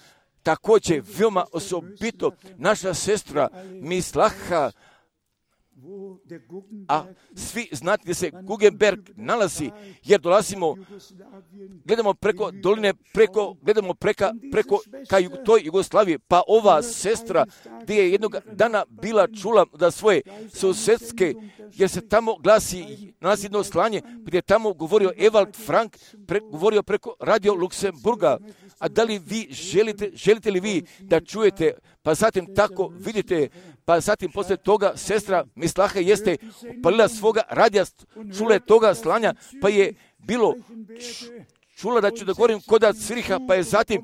[SPEAKER 1] Također veoma osobito naša sestra Mislaha, a svi znate gdje se Guggenberg nalazi, jer gledamo preko doline, gledamo preko ka toj Jugoslaviji, pa ova sestra gdje je jednog dana bila čula da svoje susedske, jer se tamo nalazi jedno slanje, gdje je tamo govorio Ewald Frank, govorio preko radio Luksemburga. A da li vi želite li vi da čujete, pa zatim tako vidite, pa zatim poslije toga sestra Mislaha jeste opalila svoga radija, čula je toga slanja, pa je bilo čula da ću da govorim koda Ciriha, pa je zatim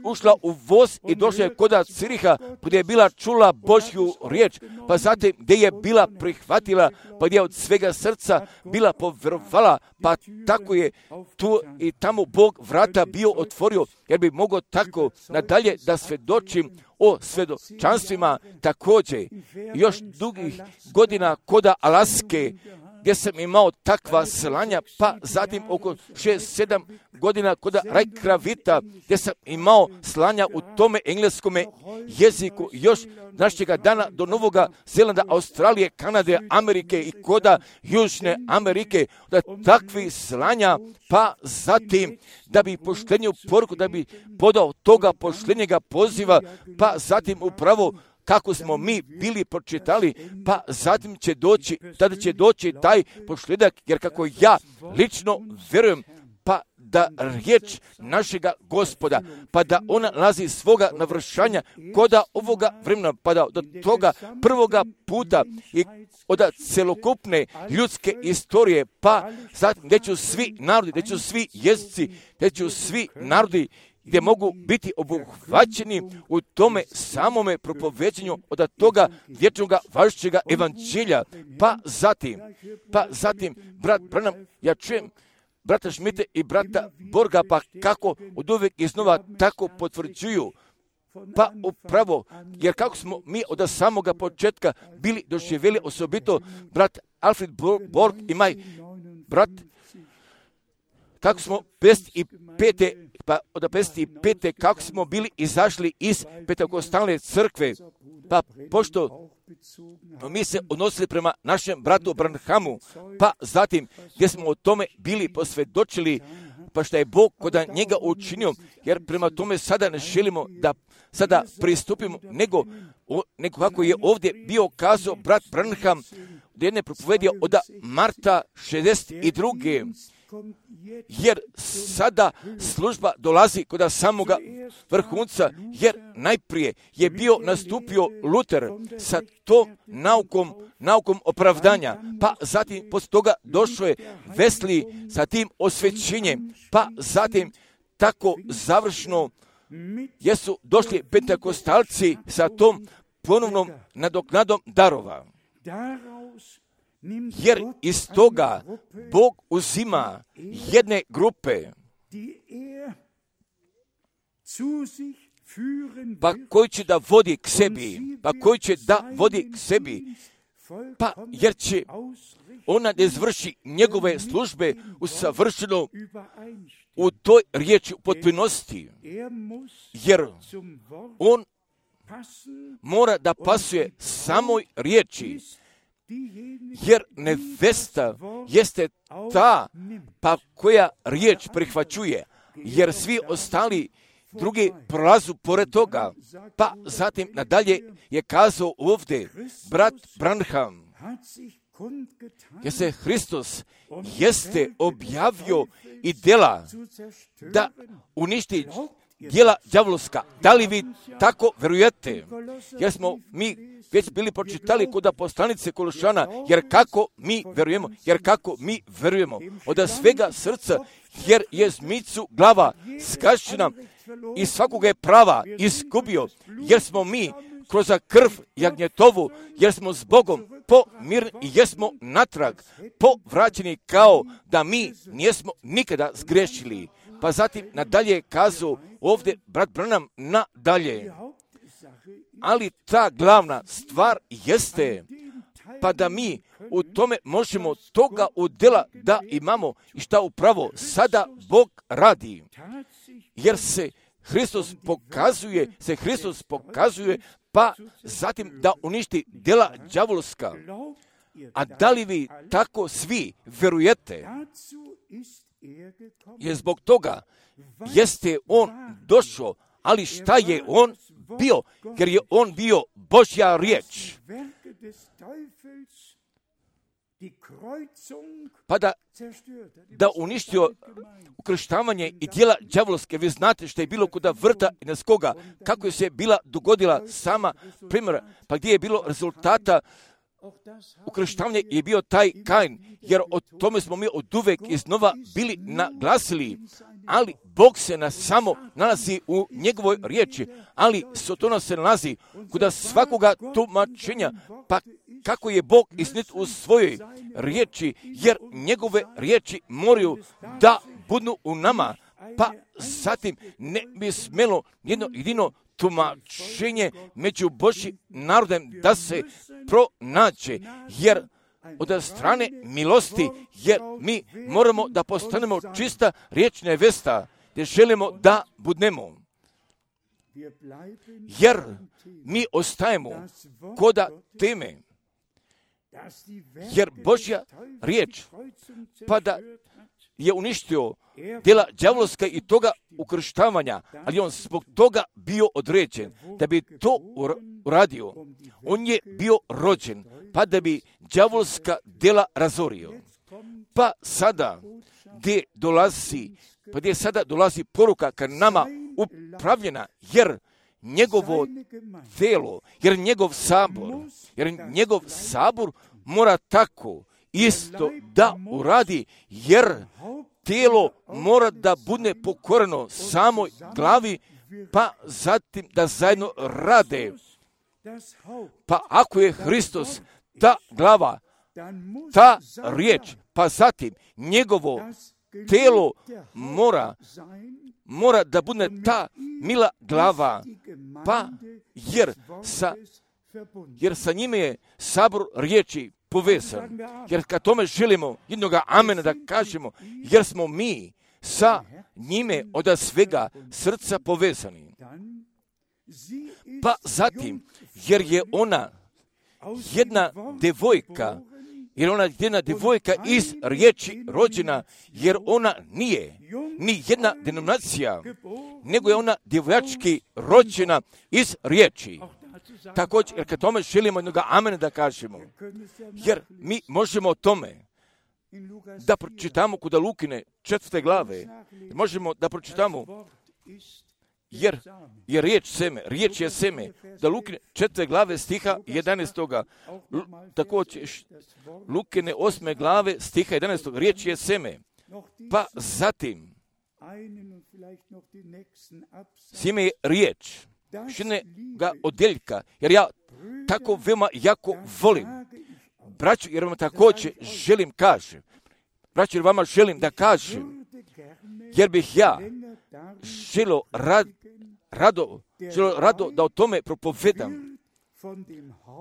[SPEAKER 1] ušla u voz i došla je koda Ciriha, gdje je bila čula Božju riječ, pa zatim gdje je bila prihvatila, pa gdje je od svega srca bila povjerovala, pa tako je tu i tamo Bog vrata bio otvorio, jer bi mogao tako nadalje da svjedočim o svjedočanstvima također. Još dugih godina koda Alaske, gdje sam imao takva slanja, pa zatim oko 6-7 godina kod Reykjavika, gdje sam imao slanja u tome engleskome jeziku, još našega dana do Novoga Zelanda, Australije, Kanade, Amerike i koda Južne Amerike, da takvi slanja, pa zatim da bi poštenju poruku, da bi podao toga poštenjega poziva, pa zatim upravo kako smo mi bili pročitali, pa zatim će doći, tada će doći taj pošljedak, jer kako ja lično vjerujem, pa da riječ našega Gospoda, pa da ona nalazi svoga navršanja koda ovoga vremena, pa da do toga prvoga puta i od celokupne ljudske istorije, pa zatim gdje će svi narodi, gdje će svi jezici, gdje će svi narodi, gdje mogu biti obuhvaćeni u tome samome propoveđenju od toga vječnoga važećega evanđelja. Pa zatim, brat Branham, ja čujem brata Šmite i brata Borga, pa kako od uvijek iznova tako potvrđuju. Pa upravo, jer kako smo mi od samoga početka bili doživjeli, osobito brat Alfred Borg i moj brat, kako smo 55. pa od 55. kako smo bili izašli iz Pentekostalne crkve, pa pošto mi se odnosili prema našem bratu Branhamu, pa zatim gdje smo o tome bili posvjedočili, pa što je Bog kod njega učinio, jer prema tome sada ne želimo da sada pristupimo, nego kako je ovdje bio kazao brat Branham, da jedne propovedije od marta 62. Jer sada služba dolazi kod samoga vrhunca, jer najprije je bio nastupio Luter sa tom naukom opravdanja, pa zatim poslije toga došao je Wesley sa tim osvećenjem, pa zatim tako završno jesu došli pentekostalci sa tom ponovnom nadoknadom darova. Jer iz toga Bog uzima jedne grupe, pa koji će da vodi k sebi, pa jer će ona da izvrši njegove službe usavršeno u toj riječi u potpunosti, jer on mora da pasuje samoj riječi, jer nevesta jeste ta pa koja riječ prihvaćuje, jer svi ostali drugi prolazu pored toga. Pa zatim nadalje je kazao ovdje brat Branham, jer se Hristos jeste objavio i djela da uništi djela đavolska. Da li vi tako vjerujete? Jer smo mi već bili pročitali kod poslanice Kološana, jer kako mi vjerujemo od svega srca, jer je zmicu glava skašćena i svakoga je prava izgubio, jer smo mi kroz krv jagnjetovu, jer smo s Bogom pomirni i jesmo natrag povraćeni kao da mi nismo nikada zgrešili. Pa zatim nadalje kazu ovdje brat Branham nadalje. Ali ta glavna stvar jeste pa da mi u tome možemo toga udjela da imamo i šta upravo sada Bog radi. Jer se Hristos pokazuje pa zatim da uništi djela đavolska. A da li vi tako svi vjerujete? Jer zbog toga jeste on došao, ali šta je on bio? Jer je on bio Božja riječ. Pa da uništio ukrštavanje i djela đavolske. Vi znate što je bilo kod vrta i neskoga, kako je se bila dogodila sama primjera, pa gdje je bilo rezultata ukrštavanje je bio taj Kain, jer o tome smo mi od uvek iznova bili naglasili, ali Bog se samo nalazi u njegovoj riječi, ali Sotona se nalazi kod svakoga tumačenja, pa kako je Bog istinit u svojoj riječi, jer njegove riječi moraju da budu u nama, pa zatim ne bi smjelo jedno jedino tumačenje među Božjim narodem da se pronađe, jer od strane milosti, jer mi moramo da postanemo čista riječna nevesta, gdje želimo da budemo. Jer mi ostajemo koda teme, jer Božja riječ, pa da je uništio djela đavolska i toga ukrštavanja, ali on zbog toga bio određen, da bi to uradio. On je bio rođen, pa da bi đavolska djela razorio. Pa sada, gdje sada dolazi poruka ka nama upravljena, jer njegovo telo, jer njegov sabor mora tako isto da uradi, jer tijelo mora da bude pokoreno samoj glavi, pa zatim da zajedno rade. Pa ako je Hristos ta glava, ta riječ, pa zatim njegovo tijelo mora da bude ta mila glava, pa jer sa njime je sabor riječi povezan. Jer kad tome želimo jednoga amena da kažemo, jer smo mi sa njime od svega srca povezani. Pa zatim, jer je ona jedna devojka, iz riječi rođena, jer ona nije ni jedna denominacija, nego je ona djevojački rođena iz riječi. Također, jer kad tome želimo jednoga amena da kažemo, jer mi možemo o tome da pročitamo kod Lukine 4. glave, možemo da pročitamo, jer riječ je seme, da Lukine 4. glave stiha 11. Također, Lukine 8. glave stiha 11. riječ je seme. Pa zatim, sjeme je riječ, šine ga odjeljka, jer ja tako veoma jako volim. Braćo, jer vam također želim kažem. Braćo, jer vama želim da kažem, jer bih ja želio rado da o tome propovedam.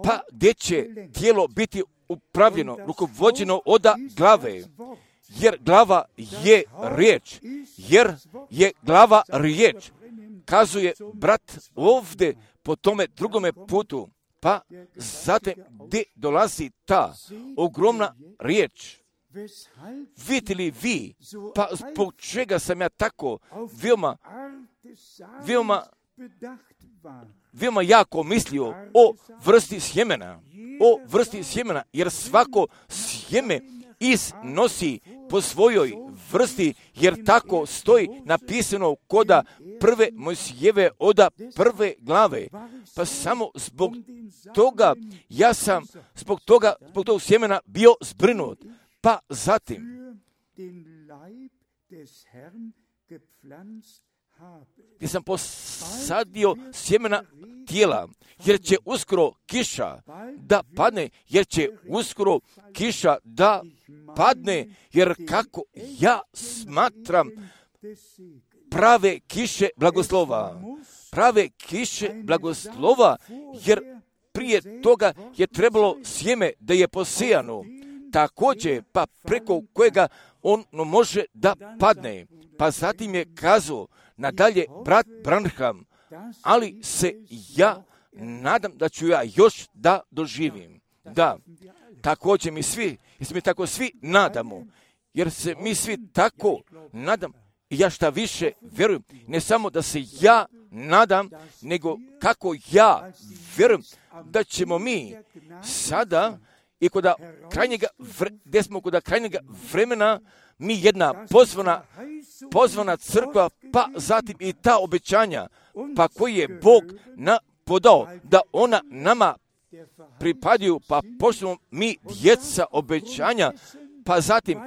[SPEAKER 1] Pa gdje će tijelo biti upravljeno, rukovođeno od glave, jer glava je riječ, kazuje brat ovdje po tome drugome putu, pa zatim gdje dolazi ta ogromna riječ. Vidite li vi, pa zbog čega sam ja tako veoma jako mislio o vrsti sjemena, jer svako sjeme iznosi po svojoj vrsti, jer tako stoji napisano koda prve Mojsijeve oda 1. glave. Pa samo zbog toga ja sam zbog tog sjemena bio zbrinut. Pa zatim gdje sam posadio sjemena tijela, jer će uskoro kiša da padne, jer kako ja smatram prave kiše blagoslova, jer prije toga je trebalo sjeme da je posijano, također pa preko kojega on može da padne. Pa zatim je kazao nadalje brat Branham, ali se ja nadam da ću ja još da doživim. Da, također mi tako svi nadamo, jer se mi svi tako nadam, i ja šta više vjerujem, ne samo da se ja nadam, nego kako ja vjerujem da ćemo mi sada i gdje smo kod krajnjega vremena, mi jedna pozvana crkva, pa zatim i ta obećanja, pa koji je Bog podao da ona nama pripadaju, pa pošto mi djeca obećanja, pa zatim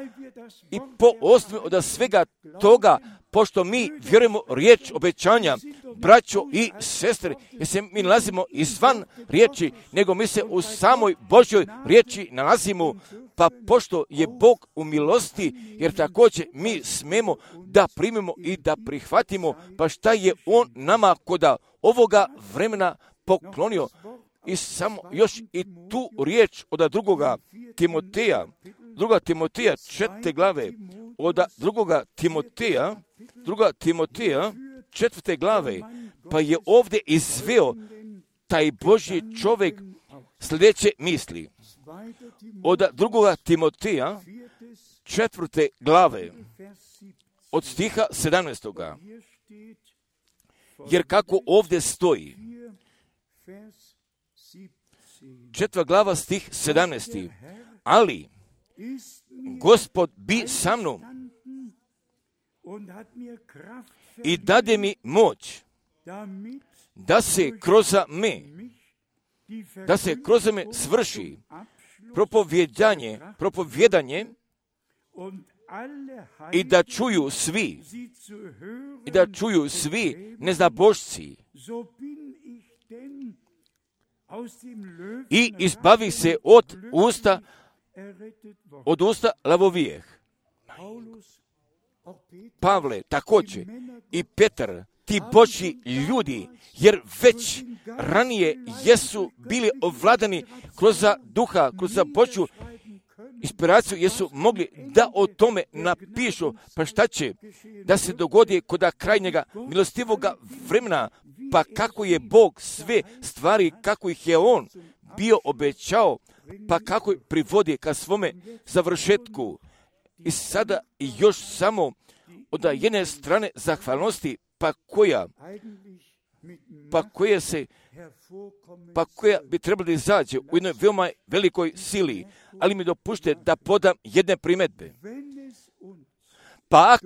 [SPEAKER 1] i po osnovi od svega toga, pošto mi vjerujemo riječ obećanja, braćo i sestre, jer se mi nalazimo izvan riječi, nego mi se u samoj Božjoj riječi nalazimo, pa pošto je Bog u milosti, jer također mi smemo da primimo i da prihvatimo, pa šta je On nama koda ovoga vremena poklonio. I samo još i tu riječ od druga Timoteja 4. glave, od druga Timoteja 4. glave, pa je ovdje izveo taj Božji čovjek sljedeće misli. Od drugoga Timoteja 4. glave, od stiha 17. Jer kako ovdje stoji, 4. glava stih 17. Ali Gospod bi sa mnom i dade mi moć da se kroz me svrši propovijedanje i da čuju svi neznabošci i izbavi se od usta lavovijeh. Pavle, također i Petar, ti Božji ljudi, jer već ranije jesu bili ovladani kroz duha, kroz Božju inspiraciju, jesu mogli da o tome napišu. Pa šta će da se dogodi kod krajnjega milostivoga vremena, pa kako je Bog sve stvari, kako ih je On bio obećao, pa kako ih privodi ka svome završetku. I sada i još samo od jedne strane zahvalnosti, koja bi trebala izaći u jednoj veoma velikoj sili, ali mi dopušte da podam jedne primjedbe. Pa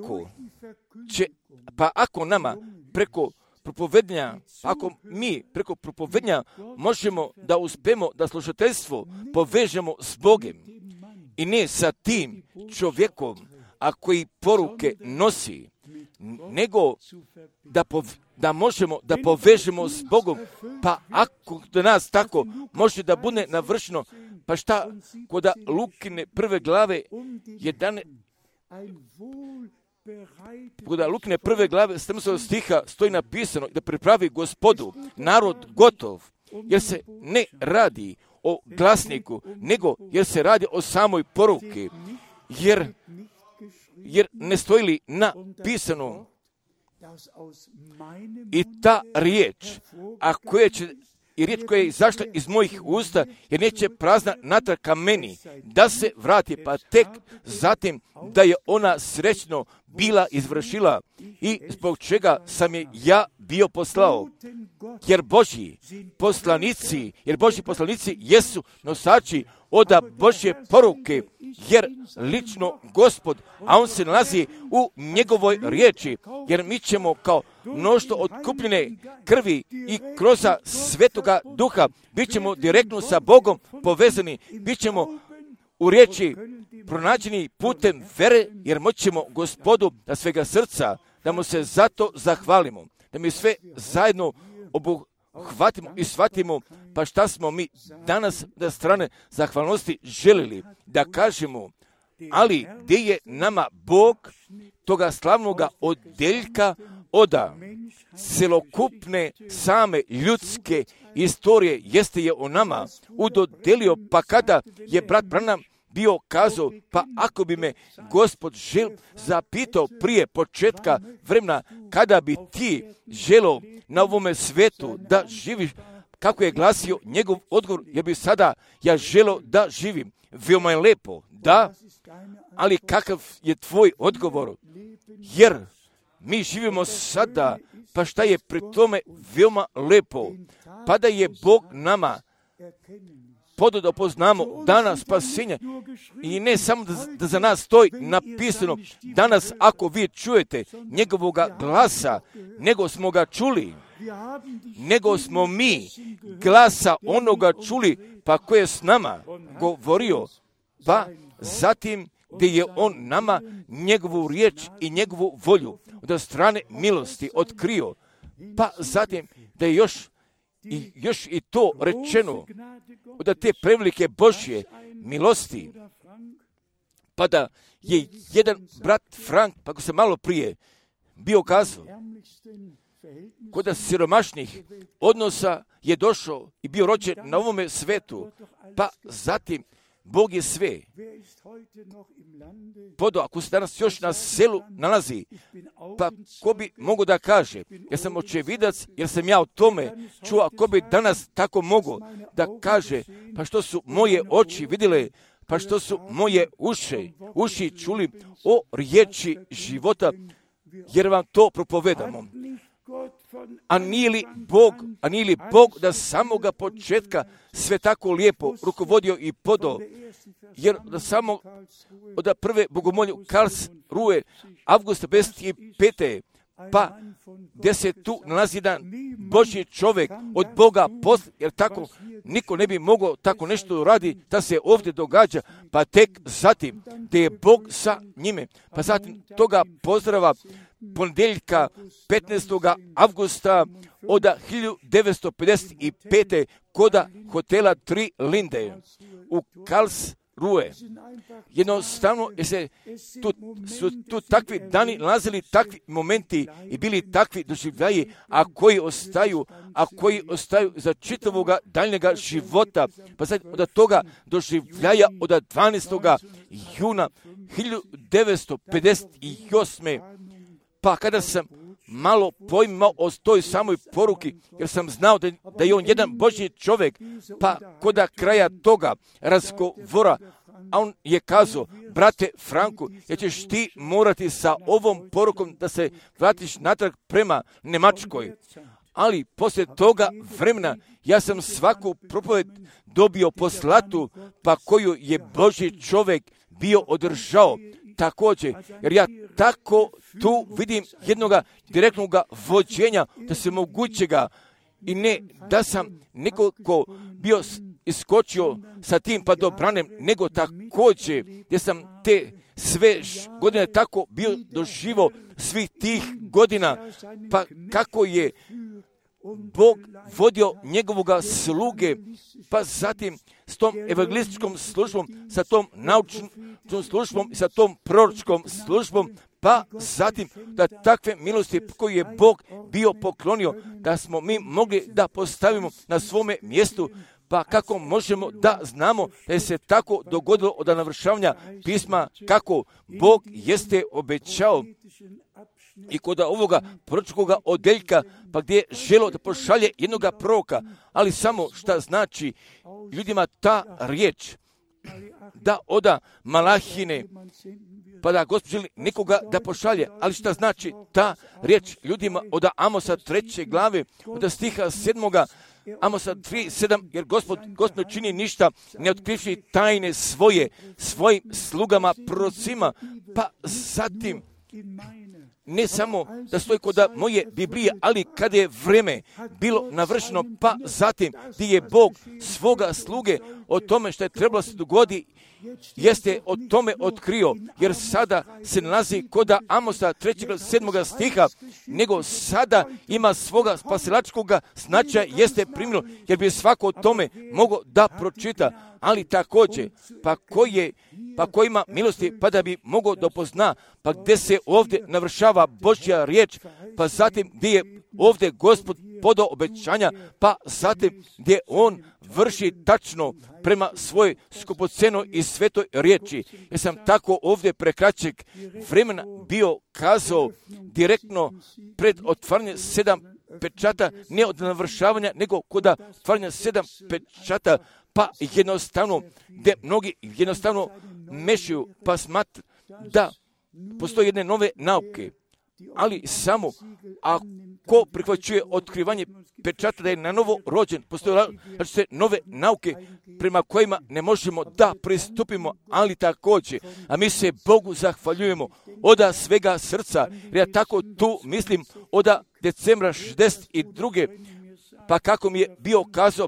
[SPEAKER 1] ako nama preko propovednja, ako mi preko propovednja možemo da uspemo da slušateljstvo povežemo s Bogom i ne sa tim čovjekom, a koji poruke nosi, nego da možemo da povežemo s Bogom, pa ako do nas tako može da bude navršeno, pa šta kod Lukine 1. glave 11, kod Lukine 1. glave 17. stiha stoji napisano da pripravi Gospodu narod gotov, jer se ne radi o glasniku, nego jer se radi o samoj poruki, jer ne stoji li napisano i ta riječ, riječ koja je izašla iz mojih usta, jer neće prazna natrag ka meni, da se vrati, pa tek zatim da je ona srećno bila izvršila i zbog čega sam je ja bio poslao. Jer Božji poslanici jesu nosači od Božje poruke, jer lično Gospod, a On se nalazi u njegovoj riječi, jer mi ćemo kao mnoštvo otkupljene krvi i kroz Svetoga Duha bit ćemo direktno sa Bogom povezani, bit ćemo u riječi pronađeni putem vere, jer moćemo Gospodu da svega srca, da mu se zato zahvalimo, da mi sve zajedno obuhvatimo i shvatimo, pa šta smo mi danas da strane zahvalnosti želili da kažemo, ali gdje je nama Bog toga slavnoga odeljka od celokupne same ljudske istorije, jeste je o nama udodelio, pa kada je brat Branham bio kazao, pa ako bi me Gospod zapitao prije početka vremena, kada bi ti želio na ovome svetu da živiš, kako je glasio njegov odgovor, ja bi sada želio da živim. Veoma je lepo, da, ali kakav je tvoj odgovor? Jer mi živimo sada, pa šta je pri tome veoma lepo? Pa da je Bog nama podao da poznamo dana spasenja i ne samo da za nas stoji napisano danas ako vi čujete njegovoga glasa, nego smo ga čuli, nego smo mi glasa onoga čuli, pa ko je s nama govorio, pa zatim gdje je on nama njegovu riječ i njegovu volju od strane milosti otkrio, pa zatim da je još i to rečeno od te prevelike Božje milosti, pa da je jedan brat Frank, pa ko se malo prije bio kazao, kod siromašnih odnosa je došao i bio rođen na ovome svetu, pa zatim Bog je sve. Podo, ako se danas još na selu nalazi, pa ko bi mogao da kaže, jer sam očevidac, jer sam ja o tome čuo, ko bi danas tako mogao da kaže, pa što su moje oči vidjele, pa što su moje uši čuli o riječi života, jer vam to propovedamo. A nije li Bog da samoga početka sve tako lijepo rukovodio i podao, jer da samo od prve bogomolju Karlsruhe avgusta 55. pa gdje se tu nalazi jedan Božji čovjek od Boga posle, jer tako niko ne bi mogao tako nešto radi da se ovdje događa, pa tek zatim gdje je Bog sa njime, pa zatim toga pozdrava ponedjeljka 15. avgusta od 1955. koda hotela 3 Linde u Karlsruhe. Jednostavno su tu takvi dani nalazili, takvi momenti i bili takvi doživljaji, a koji ostaju za čitavoga daljnjega života. Pa sad od toga doživljaja od 12. juna 1958. Pa kada sam malo pojmao o toj samoj poruki, jer sam znao da je on jedan Božji čovjek, pa koda kraja toga razgovora, a on je kazao, brate Franku, jer ćeš ti morati sa ovom porukom da se vratiš natrag prema Njemačkoj. Ali poslije toga vremena ja sam svaku propoved dobio poslatu, pa koju je Božji čovjek bio održao. Također, jer ja tako tu vidim jednoga direktnog vođenja, da se mogućega, i ne da sam nekoliko bio iskočio sa tim pa dobranem, nego također gdje sam te sve godine tako bio doživao svih tih godina, pa kako je Bog vodio njegovoga sluge, pa zatim s tom evangelističkom službom, sa tom naučnom službom i sa tom proročkom službom, pa zatim da takve milosti koje je Bog bio poklonio, da smo mi mogli da postavimo na svome mjestu, pa kako možemo da znamo da je se tako dogodilo od navršavanja pisma, kako Bog jeste obećao. I kod ovoga proročkoga odjeljka, pa gdje je želio da pošalje jednoga proroka, ali samo šta znači ljudima ta riječ, da oda Malahine, pa da Gospod želi nekoga da pošalje, ali šta znači ta riječ ljudima od Amosa 3. glave, od stiha 7. Amosa 3:7, jer Gospod ne čini ništa ne otkrivši tajne svojim slugama prorocima, pa zatim ne samo da stoji kod moje Biblije, ali kada je vrijeme bilo navršeno, pa zatim gdje je Bog svoga sluge o tome što je trebalo se dogodi, jeste o tome otkrio, jer sada se nalazi kod Amosa 3:7 stiha, nego sada ima svoga spasilačkog značaja, jeste primilo, jer bi svako o tome mogao da pročita, ali također, pa ko ima milosti, pa da bi mogao da pozna, pa gdje se ovdje navršava Božja riječ, pa zatim gdje je ovdje Gospod podao obećanja, pa zatim gdje on vrši tačno prema svojoj skupocenoj i svetoj riječi. Ja sam tako ovdje prekraćeg vremena bio kazao direktno pred otvaranje 7 pečata, ne od navršavanja, nego kod otvaranja 7 pečata, pa jednostavno, gdje mnogi jednostavno mešaju, pa smatru da postoje jedne nove nauke, ali samo ako prihvaćuje otkrivanje pečata da je na novo rođen, postoje nove nauke prema kojima ne možemo da pristupimo, ali također, a mi se Bogu zahvaljujemo od svega srca, jer ja tako tu mislim od decembra 62. Pa kako mi je bio kazao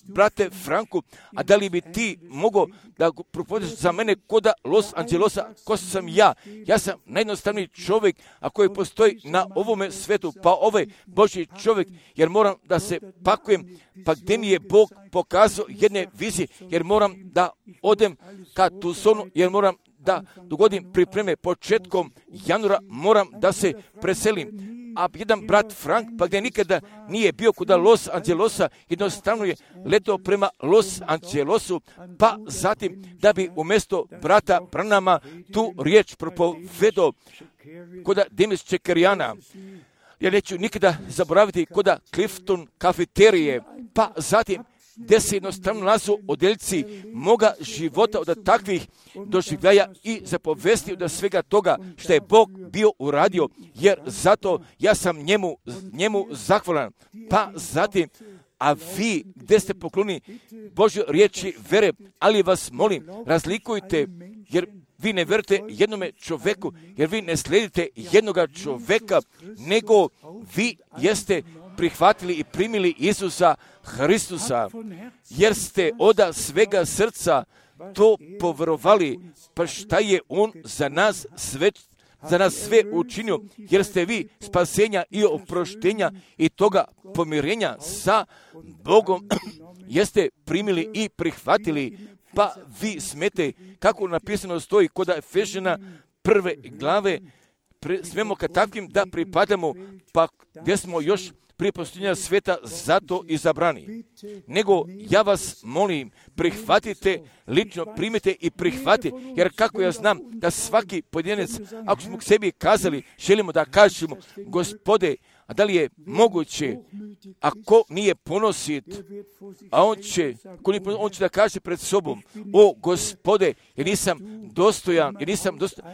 [SPEAKER 1] brate Franku, a da li bi ti mogao da propovjedaš za mene koda Los Angelesa, ko sam ja? Ja sam najjednostavniji čovjek, a koji postoji na ovome svetu, pa ovaj Božji čovjek, jer moram da se pakujem, pa gdje mi je Bog pokazao jedne vizije, jer moram da odem ka Tucsonu, jer moram da dogodim pripreme početkom januara, moram da se preselim. a jedan brat Frank, pa gdje nikada nije bio kuda Los Angelesa, jednostavno je letao prema Los Angelesu, pa zatim da bi umjesto brata Branhama tu riječ propovedao koda Demis Čekerijana. Ja neću nikada zaboraviti koda Clifton kafeterije, pa zatim gdje se jednostavno nalazu odeljci moga života od takvih doživljaja i zapovesti od svega toga što je Bog bio uradio, jer zato ja sam njemu zahvalan. Pa zatim, a vi gdje ste pokloni Božjoj riječi vere, ali vas molim, razlikujte, jer vi ne vjerujete jednome čovjeku, jer vi ne slijedite jednoga čovjeka, nego vi jeste prihvatili i primili Isusa Hristusa, jer ste od svega srca to povjerovali, pa šta je On za nas sve učinio, jer ste vi spasenja i oproštenja i toga pomirenja sa Bogom jeste primili i prihvatili, pa vi smete, kako napisano stoji kod Efežana 1. glave, smemo ka takvim da pripadamo, pa gdje smo još prije postojenja sveta zato izabrani. Nego ja vas molim, prihvatite, lično primite i prihvatite, jer kako ja znam da svaki pojedinac, ako smo k sebi kazali, želimo da kažemo, Gospode, a da li je moguće, ako nije ponosit, a on će da kaže pred sobom, o Gospode, jer nisam dostojan,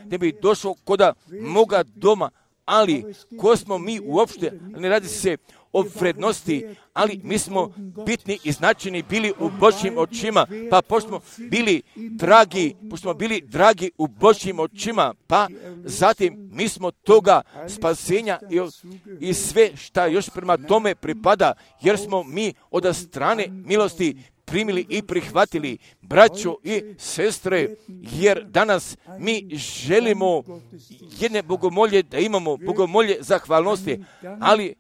[SPEAKER 1] da bi došao koda moga doma, ali ko smo mi uopšte, ne radi se o vrednosti, ali mi smo bitni i značajni bili u Božjim očima, pa pošto smo bili dragi u Božjim očima, pa zatim mi smo toga spasenja i sve šta još prema tome pripada, jer smo mi od strane milosti primili i prihvatili, braćo i sestre, jer danas mi želimo jedne bogomolje, da imamo bogomolje zahvalnosti, ali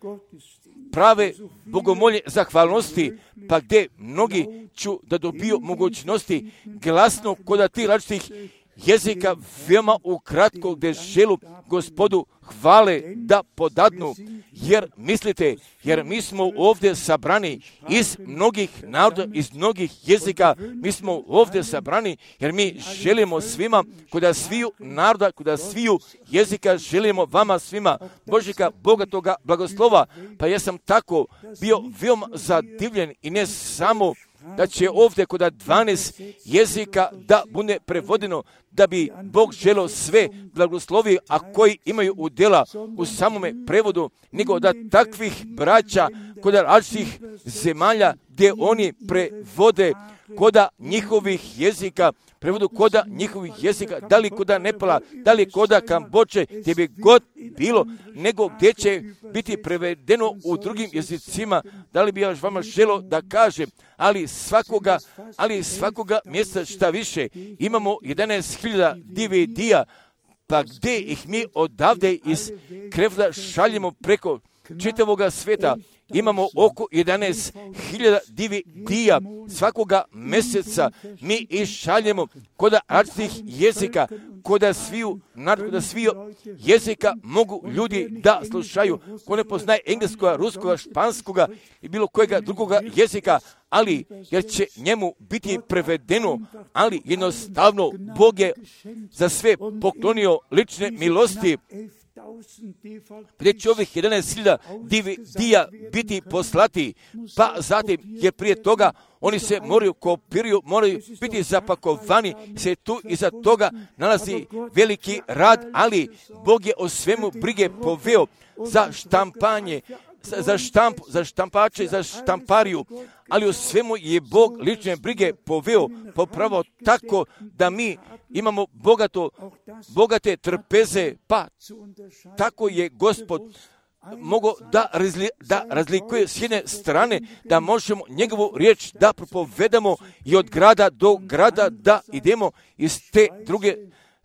[SPEAKER 1] prave bogomolje zahvalnosti, pa gdje mnogi ću da dobiju mogućnosti glasno kod tih različitih jezika veoma ukratko gdje želu Gospodu hvale da podadnu, jer mi smo ovdje sabrani iz mnogih naroda, iz mnogih jezika, mi smo ovdje sabrani jer mi želimo svima, kod sviju naroda, kod sviju jezika, želimo vama svima Božjega bogatoga blagoslova, pa ja sam tako bio veoma zadivljen i ne samo da će ovdje kod 12 jezika da bude prevodeno, da bi Bog želio sve blagoslovi, a koji imaju udjela u samome prevodu, nego da takvih braća kod različitih zemalja gdje oni prevode koda njihovih jezika, prevodu koda njihovih jezika, da li koda Nepala, da li koda Kambođe, gdje bi god bilo, nego gdje će biti prevedeno u drugim jezicima, da li bi ja vama želio da kažem, ali svakoga mjeseca šta više, imamo 11.000 DVD-a, pa gdje ih mi odavde iz Krefla šaljemo preko čitavoga sveta. Imamo oko 11.000 DVD-a svakoga mjeseca mi išaljemo kod različitih jezika, kod sviju jezika mogu ljudi da slušaju, ko ne poznaje engleskoga, ruskoga, španskoga i bilo kojega drugoga jezika, ali jer će njemu biti prevedeno, ali jednostavno Bog je za sve poklonio lične milosti, gdje će ovih 11.000 DVD-a biti poslati, pa zatim, jer prije toga oni se moraju biti zapakovani, se tu iza toga nalazi veliki rad, ali Bog je o svemu brige poveo za štampanje, za štampače, za štampariju, ali o svemu je Bog lične brige poveo, popravo tako da mi imamo bogate trpeze, pa tako je Gospod mogao da razlikuje s jedne strane, da možemo njegovu riječ da propovedamo i od grada do grada da idemo, iz te druge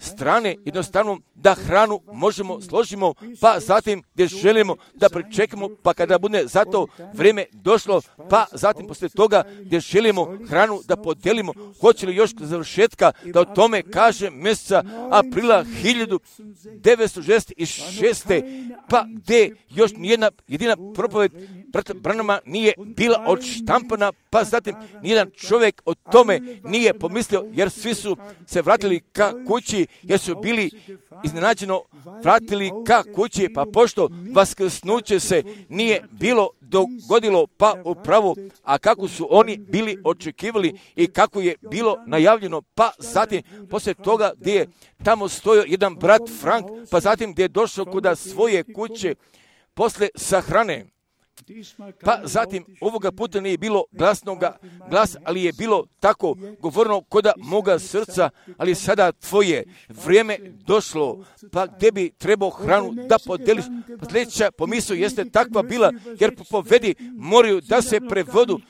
[SPEAKER 1] strane jednostavno da hranu možemo složimo, pa zatim gdje želimo da pričekamo, pa kada bude za to vrijeme došlo, pa zatim poslije toga gdje želimo hranu da podijelimo, hoće li još završetka da o tome kaže mjeseca aprila 1966. pa gdje još nijedna jedina propoved brata Branhama nije bila odštampana, pa zatim nijedan čovjek o tome nije pomislio, jer svi su se vratili ka kući, jer su bili iznenađeno vratili ka kući, pa pošto vaskrsnuće se nije bilo dogodilo, pa upravo, a kako su oni bili očekivali i kako je bilo najavljeno, pa zatim poslije toga gdje je tamo stojao jedan brat Frank, pa zatim gdje je došao kuda svoje kuće posle sahrane. Pa zatim ovoga puta nije bilo glasnoga glasa, ali je bilo tako govorno koda moga srca, ali sada tvoje vrijeme došlo, pa gdje bi trebao hranu da podeliš. Pa sljedeća pomisao jeste takva bila, jer propovedi moraju da se prevodu,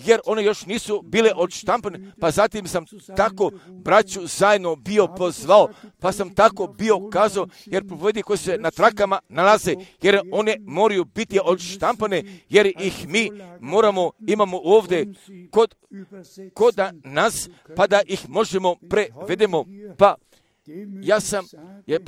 [SPEAKER 1] jer one još nisu bile odštampane. Pa zatim sam tako braću zajedno bio pozvao, pa sam tako bio kazao, jer propovedi koji se na trakama nalaze, jer one moraju biti odštampane, jer ih mi imamo ovdje kod nas, pa da ih možemo prevedemo. Pa ja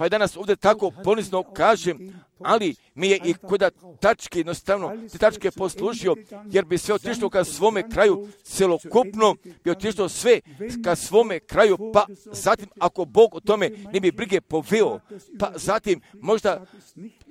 [SPEAKER 1] danas ovdje tako ponizno kažem, ali mi je i kod tačke jednostavno te tačke poslužio, jer bi sve otišlo ka svome kraju, celokupno bi otišlo sve ka svome kraju, pa zatim ako Bog o tome ne bi brige poveo, pa zatim možda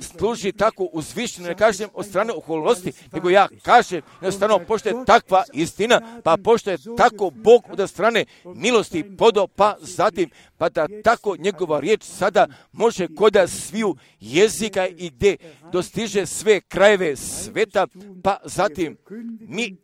[SPEAKER 1] služi tako uzvišeno, ne kažem od strane oholosti, nego ja kažem jednostavno pošto je takva istina, pa pošto je tako Bog od strane milosti podao, pa zatim pa da tako njegova riječ sada može koda sviju jezika i gdje dostiže sve krajeve sveta, pa zatim mi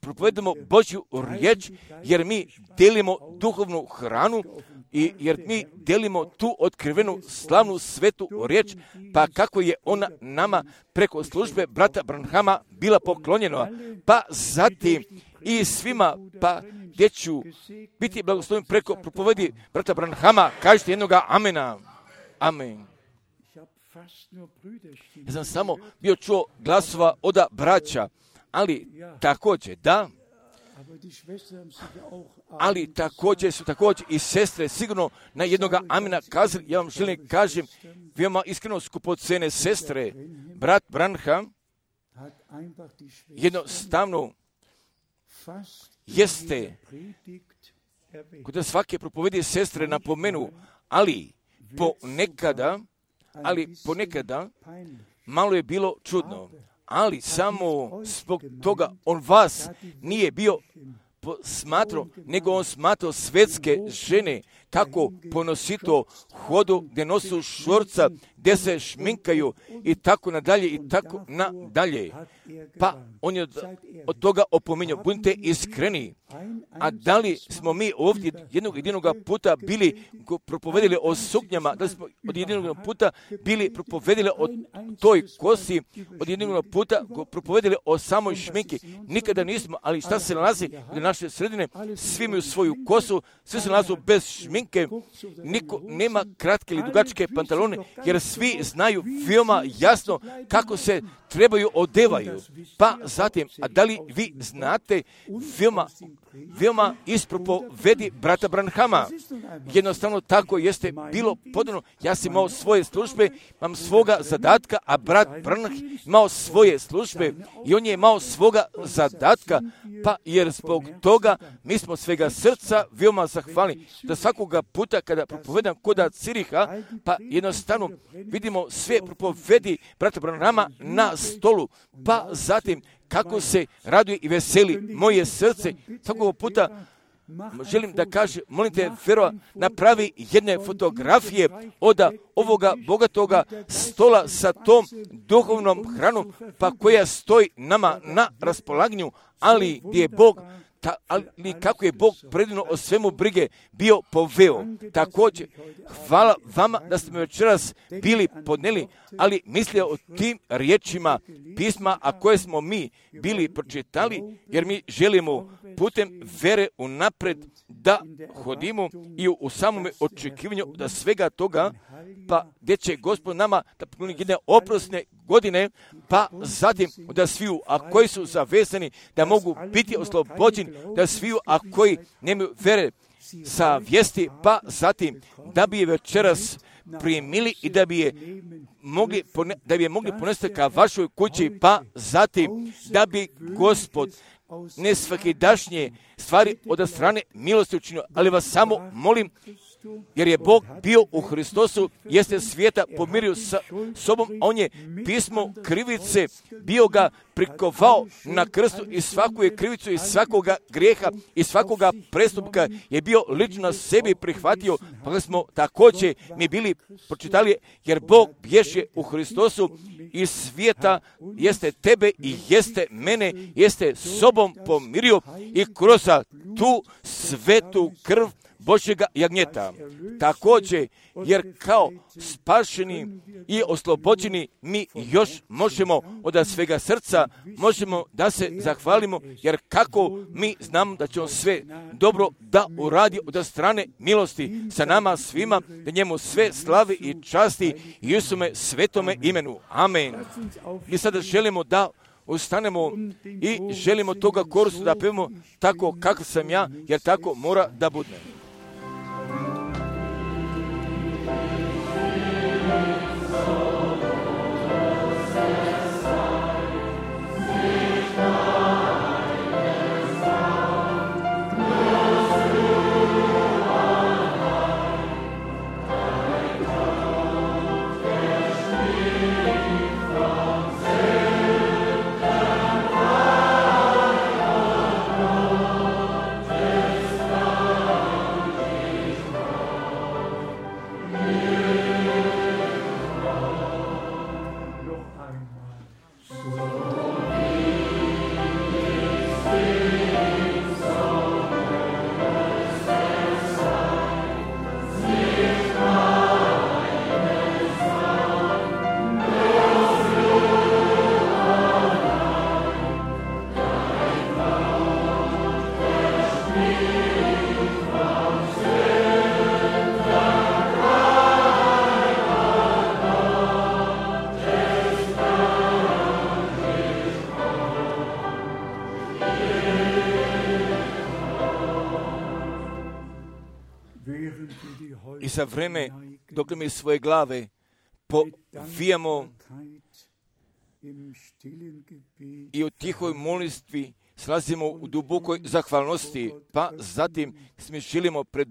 [SPEAKER 1] propovedamo Božju riječ, jer mi delimo duhovnu hranu i jer mi delimo tu otkrivenu slavnu svetu riječ, pa kako je ona nama preko službe brata Branhama bila poklonjena, pa zatim i svima, pa gdje ću biti blagoslovljen preko propovedi brata Branhama, kažete jednoga amena. Amen. Ja sam samo bio čuo glasova od braća, ali također su također i sestre sigurno na jednoga amena kazali. Ja vam želim kažem, veoma iskreno skupocene sestre, brat Branham jednostavno jeste kod svake propovedi sestre napomenu, ali ponekada malo je bilo čudno, ali samo zbog toga on vas nije bio smatrao, nego on smatrao svetske žene kako ponosito hodu, gdje nosu šorca, gdje se šminkaju i tako nadalje i tako nadalje. Pa on je od toga opominjao, budite iskreni. A da li smo mi ovdje jednog puta bili propovedili o suknjama, da li smo od jednog puta bili propovedili o toj kosi, od jednog puta propovedili o samoj šminki? Nikada nismo, ali šta se nalazi u naše sredine? Svi imaju svoju kosu, svi se nalazu bez šminke, niko nema kratke ili dugačke pantalone, jer svi znaju veoma jasno kako se trebaju odevaju. Pa zatim, a da li vi znate veoma ispropovedi brata Branhama? Jednostavno tako jeste bilo podano. Ja sam imao svoje službe, imam svoga zadatka, a brat Branham imao svoje službe i on je imao svoga zadatka, pa jer zbog toga mi smo svega srca veoma zahvalni da svakoga puta kada propovedam koda Ciriha, pa jednostavno vidimo sve propovedi brata Branhama na stolu, pa zatim kako se raduje i veseli moje srce. Svakog puta želim da kaže, molim te, Ferova, napravi jedne fotografije od ovoga bogatoga stola sa tom duhovnom hranom, pa koja stoji nama na raspolaganju, ali gdje je Bog, ali kako je Bog predivno o svemu brige bio poveo. Također, hvala vama da ste me večeras bili podneli, ali mislio o tim riječima pisma, a koje smo mi bili pročitali, jer mi želimo putem vere unapred da hodimo i u samome očekivanju da svega toga, pa gdje će Gospod nama da pokloni jedne oprosne godine, pa zatim da sviju, a koji su zavezani, da mogu biti oslobođeni, da sviju, a koji nemaju vere sa vijesti, pa zatim da bi je večeras primili i da bi je mogli ponesti ka vašoj kući, pa zatim da bi Gospod ne svakidašnje stvari od strane milosti učinio, ali vas samo molim, jer je Bog bio u Hristosu, jeste svijeta pomirio sa sobom, a on je pismo krivice bio ga prikovao na krstu i svaku je krivicu i svakoga grijeha i svakoga prestupka je bio lično na sebi prihvatio, pa smo također mi bili pročitali, jer Bog bješe u Hristosu iz svijeta, jeste tebe i jeste mene, jeste sobom pomirio i kroz tu svetu krv Božjega jagnjeta. Također, jer kao spašeni i oslobođeni mi još možemo od svega srca, možemo da se zahvalimo, jer kako mi znamo da će on sve dobro da uradi od strane milosti sa nama svima, da njemu sve slavi i časti i Isume svetome imenu. Amen. Mi sada želimo da ustanemo i želimo toga korusu da pevamo tako kako sam ja, jer tako mora da bude. I za vreme dok mi svoje glave povijamo i u tihoj molitvi slazimo u dubokoj zahvalnosti, pa zatim mi želimo pred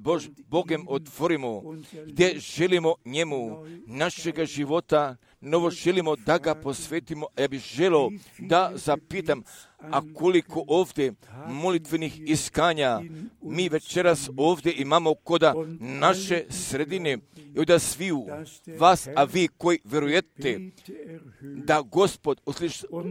[SPEAKER 1] Bogem otvorimo, gdje želimo njemu našega života, novo želimo da ga posvetimo. Ja bih želio da zapitam, a koliko ovdje molitvenih iskanja mi večeras ovdje imamo koda naše sredine i od sviju vas, a vi koji vjerujete da Gospod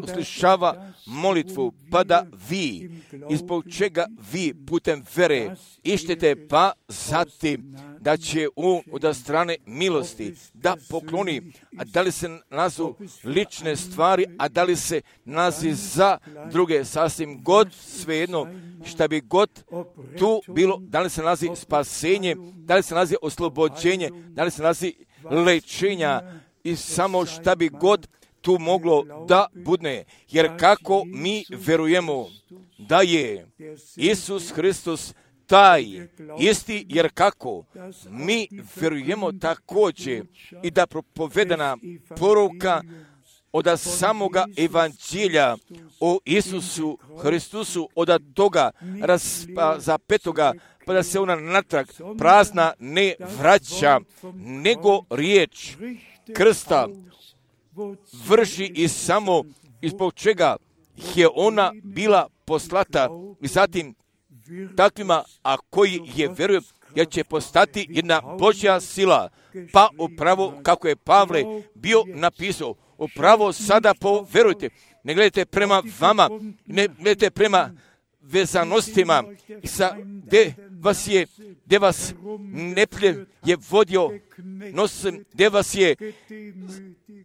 [SPEAKER 1] uslišava molitvu, pa da vi, izbog čega vi putem vere ištete, pa zatim da će on od strane milosti da pokloni, a da li se nazu lične stvari, a da li se nazi za druge, sasvim god svejedno šta bi god tu bilo, da li se nazi spasenje, da li se nazi oslobođenje, da li se nazi lečenja i samo šta bi god tu moglo da budne. Jer kako mi verujemo da je Isus Hristos taj isti, jer kako mi verujemo također i da propovedana poruka od samoga evanđelja o Isusu Hristusu, od toga zapetoga, pa da se ona natrag prazna ne vraća, nego riječ krsta vrši i samo izbog čega je ona bila poslata i zatim takvima, a koji je vjeruje, jer će postati jedna Božja sila, pa upravo kako je Pavle bio napisao, upravo sada poverujte, ne gledajte prema vama, ne gledajte prema vezanostima, gdje vas neprijatelj je vodio nosem, gdje vas je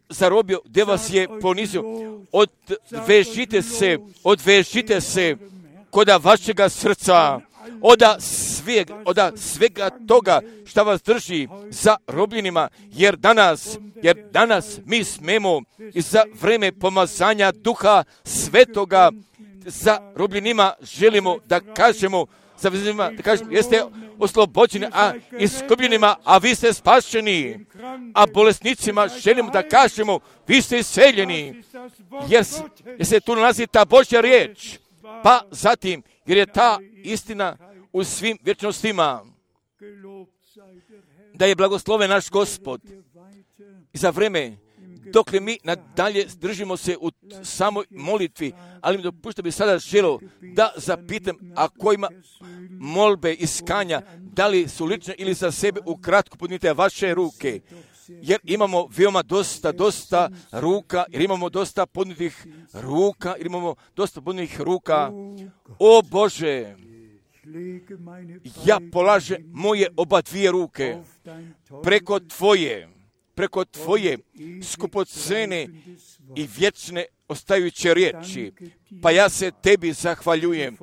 [SPEAKER 1] zarobio, gdje vas je ponizio. Odvežite se koda vašega srca, od svega toga šta vas drži za robljenima, jer danas mi smemo i za vreme pomazanja Duha Svetoga za robljenima želimo da kažemo, jeste oslobođeni, a iskupljenima, a vi ste spašeni, a bolesnicima želimo da kažemo, vi ste iseljeni, jer se tu nalazi ta Božja riječ, pa zatim, jer je ta istina u svim vječnostima, da je blagosloven naš Gospod i za vreme dokle mi nadalje držimo se u samoj molitvi, ali mi dopušta bi sada želio da zapitam, ako ima molbe iskanja, da li su lične ili za sebe, ukratko podnite vaše ruke, jer imamo veoma dosta ruka, jer imamo dosta podnitih ruka, O Bože, ja polažem moje oba dvije ruke preko Tvoje skupocene i vječne ostajuće riječi, pa ja se Tebi zahvaljujem